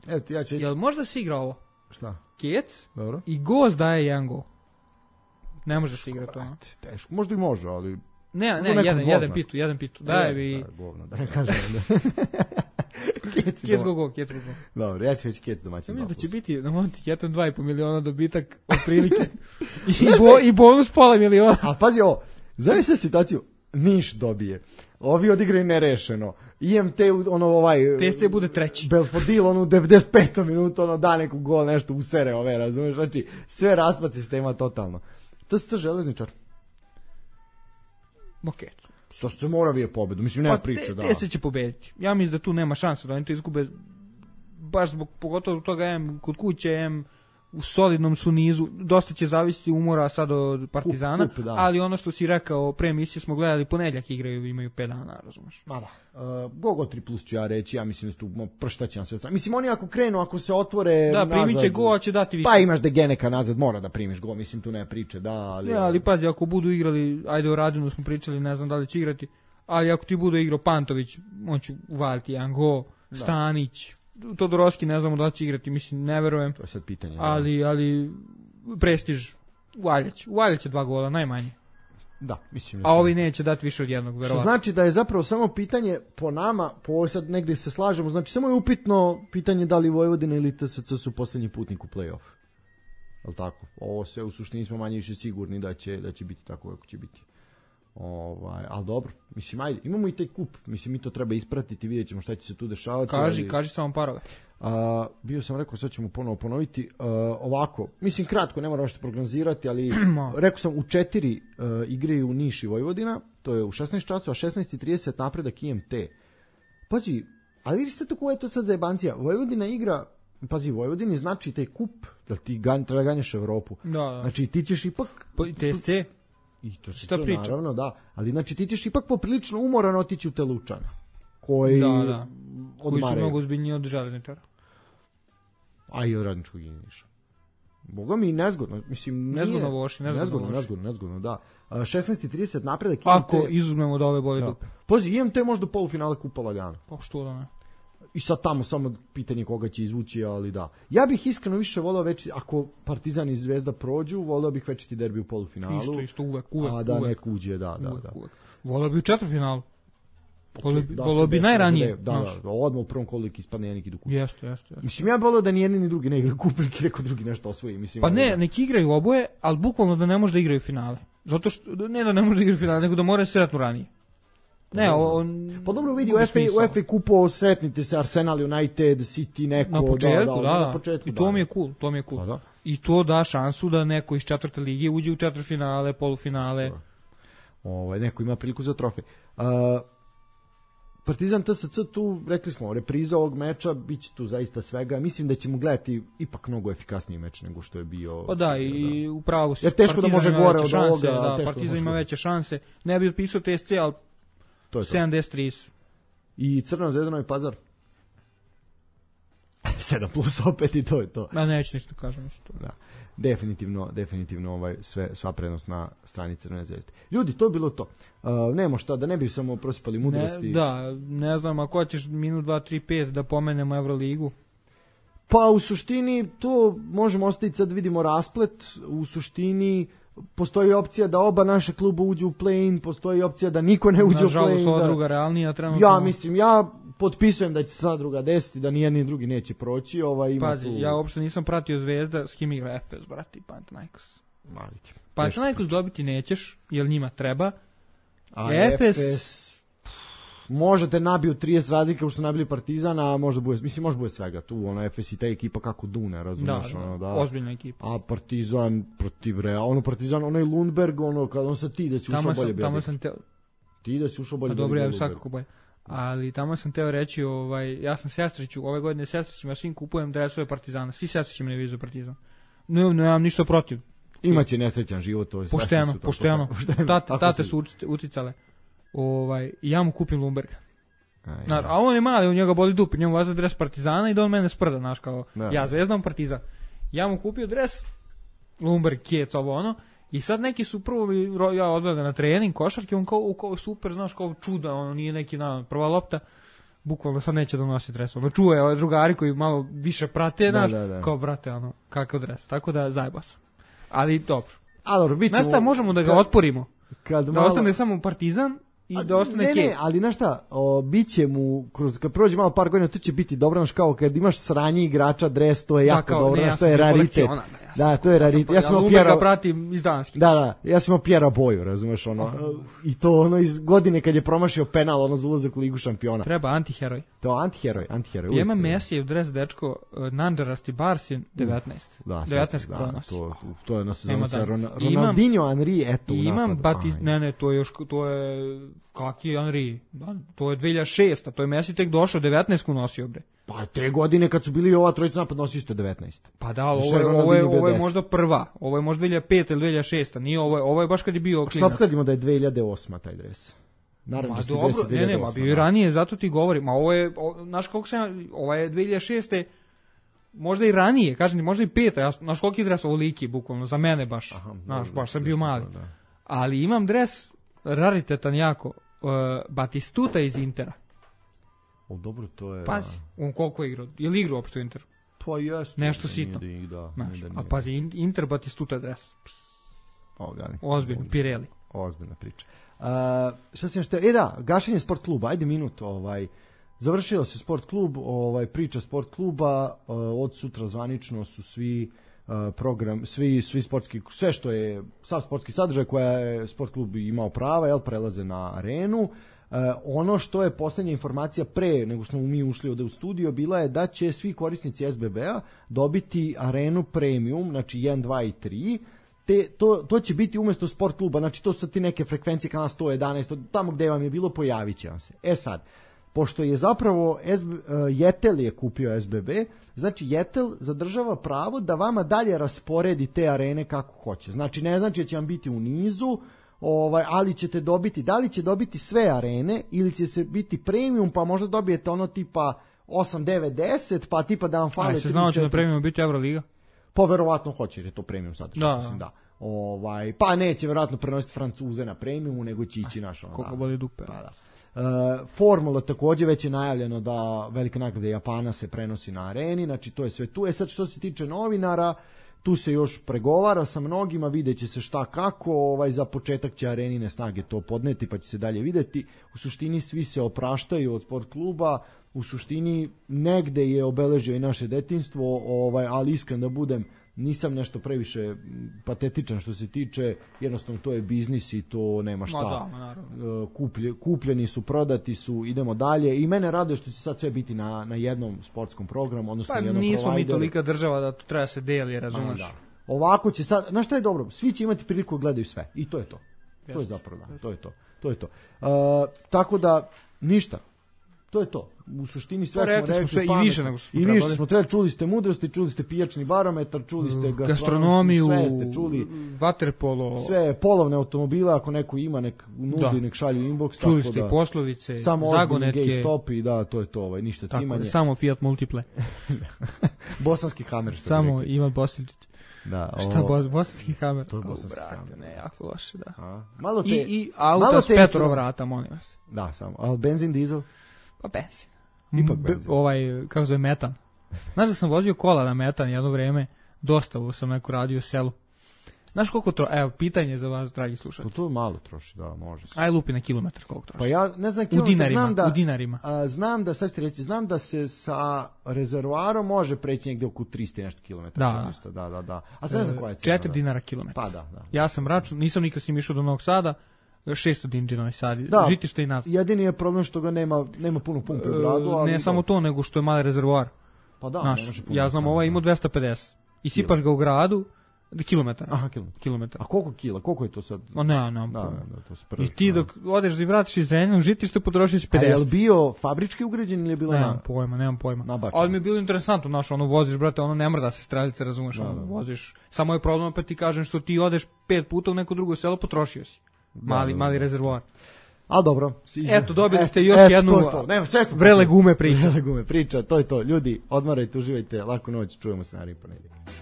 Evo ti, ja ću ići. Jel možda si igra ovo? Šta? Kec? Dobro. I Goz daje jedan gol. Ne možeš igrati to. Teško, možda i može, ali... Ne, ne, jedan, jedan pitu, jedan pitu. Daj bi... Govno, da ne kažem. Kec, kec go go, kec go go. Dobro, ja ću već kec domaćin. Mislim da će biti na Monti dva i po miliona dobitak od prilike. I, bo, I bonus pola miliona. A pazi ovo, zove se situaciju, Niš dobije. Ovi odigraju nerešeno. I M T ono ovaj T S C bude treći. Belfodil ono u devedeset petom minutu ono da neku gol nešto usere ove, razumeš? Znači sve raspad sistema totalno. To se to Železničar. Ok. To se mora vije pobedu. Mislim nema pa priče, te, da. Te se će pobediti. Ja mislim da tu nema šanse da oni to izgube baš zbog pogotovo zbog toga em kod kuće em u solidnom su nizu, dosta će zavisiti umora sad od Partizana, up, up, ali ono što si rekao, pre emisije smo gledali, ponedjeljak igraju, imaju pet dana, razumeš? Ma da, uh, Gogo tri plus ću ja reći, ja mislim da tu prštaće na sve strane. Mislim, oni ako krenu, ako se otvore da, primit će go, će dati više. Pa imaš Degeneka nazad, mora da primiš go, mislim, tu ne priče, da, ali... Ja, ali pazi, ako budu igrali, ajde o Radinu smo pričali, ne znam da li će igrati, ali ako ti budu igrao Pantović, on će uvaliti jedan go, da. Stanić, Todorovski ne znamo da li će igrati, mislim, ne verujem. To je sad pitanje. Ali, ali, prestiž, Uvaljać, Uvaljać će dva gola, najmanje. Da, mislim. A ovi neće dati više od jednog, verovatno. Što znači da je zapravo samo pitanje po nama, po ovo sad negdje se slažemo, znači samo je upitno pitanje da li Vojvodina ili T S C su posljednji putnik u play-off. Jel tako? Ovo sve u suštini smo manje više sigurni da će, da će biti tako kako će biti. Ovaj, ali dobro, mislim, ajde, imamo i taj kup, mislim, mi to treba ispratiti, vidjet ćemo šta će se tu dešavati. Kaži, ali, kaži samo parove. A, bio sam rekao, sad ćemo ponovo ponoviti, a, ovako, mislim, kratko, ne moram što prognozirati, ali rekao sam, u četiri a, igraju Niš i Vojvodina, to je u šesnaest časova, šesnaest i trideset napredak I M T. Pazi, ali vidite to koja je to sad zajebancija, Vojvodina igra, pazi, Vojvodini znači taj kup, da ti ganj, treba ganjaš Evropu. Da, da. Znači, ti ćeš ipak... Po, T S C? I to se to naravno, da. Ali znači ti ćeš ipak poprilično umoran otići u te Lučane. Koji da, da. Koji su mnogo ozbiljniji od Železničara. A i od Radničkog Niša. Boga mi nezgodno, mislim, nezgodno voši, nezgodno, nezgodno, nezgodno, nezgodno, da. šesnaest i trideset napredak ako I M T, izuzmemo da ove bolje dupe. Pazi, I M T možda polufinale kupa lagano. Pa što da ne. I sad tamo samo pitanje koga će izvući, ali da. Ja bih iskreno više voleo već, ako Partizan i Zvezda prođu, voleo bih večiti derbi u polufinalu. Isto, isto, uvek, uvek. A da uvek. neko uđe, da, da, uvek, da. Uvek. Voleo bi u četvrtfinalu. Okay, da, voleo bi najranije. Da, da, da, odmah u prvom kolu ispadne jedan i do kupa. Jeste, jeste. Mislim, ja bih voleo da ni jedni ni drugi ne igraju kup, ili neko drugi nešto osvoji. Mislim, pa ne, da. Neki igraju oboje, ali bukvalno da ne može da igraju finale. Zato što, ne da ne može da igraju finale, nego da moraju sretnu ranije. Ne, on... Pa dobro vidi, u F A kupu sretnite se Arsenal, United, City, neko... Na početku, da, da, da. Na početku, i to da. mi je cool, to mi je cool. Pa da. I to da šansu da neko iz četvrte lige uđe u četvrtfinale, polufinale. Ovaj, neko ima priliku za trofej. Uh, Partizan T S C tu, rekli smo, repriza ovog meča, bit će tu zaista svega. Mislim da ćemo gledati ipak mnogo efikasniji meč nego što je bio... Pa da, i da. upravo si. Jer teško da može gore od šanse, ovoga. Da, Partizan ima veće šanse. Ne bi otpisao T S C, ali sedamdeset tri su. I Crna Zvezda Novi Pazar? sedam plus opet i to je to. Ma neću ništa kažem. Da. Definitivno, definitivno ovaj, sve, sva prednost na strani Crvene zvezde. Ljudi, to je bilo to. Uh, nemo šta, da ne bi samo prosipali mudrosti. Ne, da, ne znam, ako ćeš minut, dva, tri, pet da pomenemo Evroligu. Pa u suštini to možemo ostaviti, sad vidimo rasplet, u suštini postoji opcija da oba naša kluba uđu u play-in, postoji opcija da niko ne uđe u play-in. Nažalost, ova da... druga realnija trenutno. Ja mislim, ja potpisujem da će sva druga desiti, da nijedni ni drugi neće proći. Ovaj, ima Pazi, tu... ja uopšte nisam pratio Zvezda, s kim igra Efes, brati, Panathinaikos. Malić. Panathinaikos dobiti nećeš, jer njima treba. A Efes... Efes... Možete nabiju trideset razlika što nabili Partizana, a možda bude, mislim, možda bude svega tu, ono, Efes i ta ekipa kako dune, razumiješ, da, ono, da. Ozbiljna ekipa. A Partizan protiv Real, ono, Partizan, onaj Lundberg, ono, kad on sa ti da si ušao bolje, tamo sam te... ti da si ušao bolje, pa dobro, ja svakako bolje. Ali tamo sam teo reći, ovaj, ja sam sestriću, ove godine sestrićima, svim kupujem dresove Partizana, svi sestrićima ne vizu Partizan. Ne, ne, nemam ništa protiv. Imaće nesrećan život, to je pošteno, pošteno. Tate, tate su uticale. Ovaj, ja mu kupim Lundberga. A, ja. a on je mali, u njega boli dupe, njemu vaza dres Partizana i da on mene sprda, znaš, kao da. Ja Zvezdan Partizan. Ja mu kupio dres Lundberg, Kjec, ovo ono, i sad neki su prvo, ja odveo ga na trening, košarke, on kao, kao super, znaš, kao čuda, ono nije neki na prva lopta, bukvalno sad neće da nosi dres, ono čuje ove drugari koji malo više prate, znaš, da, da, da. Kao brate, ono, kakav dres, tako da zajeba sam. Ali dobro. Ali, bit ćemo... Znaš šta, možemo da ga kad, otporimo, kad da malo... ostane samo Partizan, i A, da ostane ne, ne, ali znaš šta, o, bit će mu, kroz, kad prođe malo par godina, to će biti dobro, znaš, kao kad imaš sranje igrača, dres, to je da, jako kao, dobro, ne, znaš, to je raritet. Ona, da, da, to je raritet. Ja sam imao Pjera... pratim iz Danske. Da, da, ja sam imao Pjera Boju, razumeš, ono, oh. I to ono iz godine kad je promašio penal, ono za ulazak u Ligu šampiona. Treba antiheroj. To antiheroj, antiheroj. Ja imam Mesijev dres, dečko, nanđarasti Barsin, devetnaest. Da, devetnaest da, pronos. to, to je na sezonu sa Ron, Ronaldinho, Henry, eto. Imam Batis, ne, ne, to je još, to je, kaki je Henry, to je dve hiljade šeste. To je Messi tek došao, devetnaest nosio, bre. Pa te godine kad su bili ova trojica napad nosio isto devetnaest. Pa da, ovo je, ovo je, ovo je možda prva. Ovo je možda dve hiljade pete ili dve hiljade šeste. Nije, ovo je, ovo je baš kad je bio klinac. Što opkladimo da je dve hiljade osme taj dres. Naravno da dobro, ne, ne, ma bio i ranije, zato ti govorim. Ma ovo je, o, znaš koliko sam, ovo je dve hiljade šeste. Možda i ranije, kažem ti, možda i peta. Ja, znaš koliko je dres ovoliki, bukvalno, za mene baš. Aha, znaš, da, baš sam bio mali. Da. Ali imam dres raritetan jako, uh, Batistuta iz Intera. O, dobro, to je... Pazi, on koliko je igrao? Je li igrao uopšte u Interu? Pa jes. Nešto sitno. Da, a pazi, Inter Batistuta dres. Ogani. Ozbiljno, Pirelli. Ozbiljna priča. Uh, šta sam što... E da, gašenje sport kluba, ajde minut, ovaj... Završio se sport klub, ovaj, priča sport kluba, uh, od sutra zvanično su svi uh, program, svi, svi sportski, sve što je, sav sportski sadržaj koja je sport klub imao prava, jel, prelaze na arenu. Uh, ono što je posljednja informacija pre nego što smo mi ušli ovde u studio bila je da će svi korisnici S B B-a dobiti arenu premium, znači jedan, dva i tri, te, to, to će biti umesto sport kluba, znači to su ti neke frekvencije kanala sto jedanaest, tamo gde vam je bilo pojavit će vam se. E sad, pošto je zapravo S B, uh, Jetel je kupio S B B, znači Jetel zadržava pravo da vama dalje rasporedi te arene kako hoće. Znači ne znači da će vam biti u nizu, ovaj, ali ćete dobiti, da li će dobiti sve arene ili će se biti premium, pa možda dobijete ono tipa osam, devet, deset, pa tipa da vam fale... A se znao će na premium biti Euroliga? Pa verovatno hoće, jer je to premium sad. Da, mislim, da. Ovaj, pa neće verovatno prenositi Francuze na premiumu, nego će ići naš... Ono, koliko boli dupe. Pa da. Uh, Formula takođe već je najavljeno da velika nagrada Japana se prenosi na areni, znači to je sve tu. E sad što se tiče novinara, tu se još pregovara sa mnogima, vidjet će se šta kako, ovaj, za početak će arenine snage to podneti pa će se dalje videti. U suštini svi se opraštaju od sport kluba, u suštini negde je obeležio i naše detinjstvo, ovaj, ali iskren da budem, nisam nešto previše patetičan što se tiče, jednostavno to je biznis i to nema šta. Ma da, ma naravno. Kuplje, kupljeni su, prodati su, idemo dalje i mene raduje što će sad sve biti na, na jednom sportskom programu, odnosno pa, jednom nismo provideru. Mi tolika država da to treba se deli, razumeš? Da. Ovako će sad, znaš šta je dobro, svi će imati priliku da gledaju sve i to je to. Yes. To je zapravo, da, to je to. To je to. Uh, tako da, ništa. To je to. U suštini sve pa, smo rekli, smo sve, pamet, i više nego što smo i trebali. više smo trebali, čuli ste mudrosti, čuli ste pijačni barometar, čuli ste gastronomiju, sve ste čuli, vaterpolo, sve polovne automobile, ako neko ima nek nudi, da. nek šalju inbox, čuli tako ste da, poslovice, samo zagonetke, gej stopi, da, to je to, ovaj, ništa tako, cimanje. Samo Fiat Multiple. Bosanski Hammer, što samo Ivan Bosličić. Da, ovo, šta bos, bosanski Hammer? To je bosanski brate, Hammer. Ne, jako loše, da. A, malo te, I, i auta s petro vrata, molim vas. Da, samo. A benzin, dizel? Pa benzin. Ipak benzin. B, ovaj, kako zove, metan. Znaš da sam vozio kola na metan jedno vreme, dostavu sam neko radio u selu. Znaš koliko to, evo, pitanje za vas, dragi slušatelji. Pa to malo troši, da, može se. Aj lupi na kilometar koliko troši. Pa ja ne znam kilometar, u dinarima, znam da, u dinarima. A, znam da, sad ću reći, znam da se sa rezervoarom može preći negdje oko tristo nešto kilometara. Da. četiristo, da, da, da. A sad ne znam koja je cena. četiri dinara kilometar. Pa da, da. Ja sam račun, nisam nikad s njim išao do Novog Sada, šesto dinđe Novi Sad, da, žitište i nazad. Jedini je problem što ga nema, nema puno pumpe u gradu. Ali ne samo to, nego što je mali rezervoar. Pa da, Naš, ne može puno. ja znam, ovaj ima dvesta pedeset. I sipaš ga u gradu, kilometar. Aha, kilometar. kilometar. A koliko kila? Koliko je to sad? O ne, ne, da, da, da, to se I ti dok odeš i vratiš iz Zrenjanina u žitište, potrošiš pedeset. A je li bio fabrički ugrađen ili je bilo nemam na... pojma, nemam pojma. Nabačeno. Ali mi je bilo interesantno, znaš, ono voziš, brate, ono ne mrda se strelice, razumeš, da, ono da. voziš. Samo je problem, pa ti kažem što ti odeš pet puta u neko drugo selo, potrošio si. Mali, da, da, mali da. rezervoar. A dobro. Izme. Eto, dobili ste et, još et, jednu to je to. Nema, sve smo vrele gume priča. Vrele gume priča, to je to. Ljudi, odmarajte, uživajte, laku noć, čujemo se naredni ponedjeljak.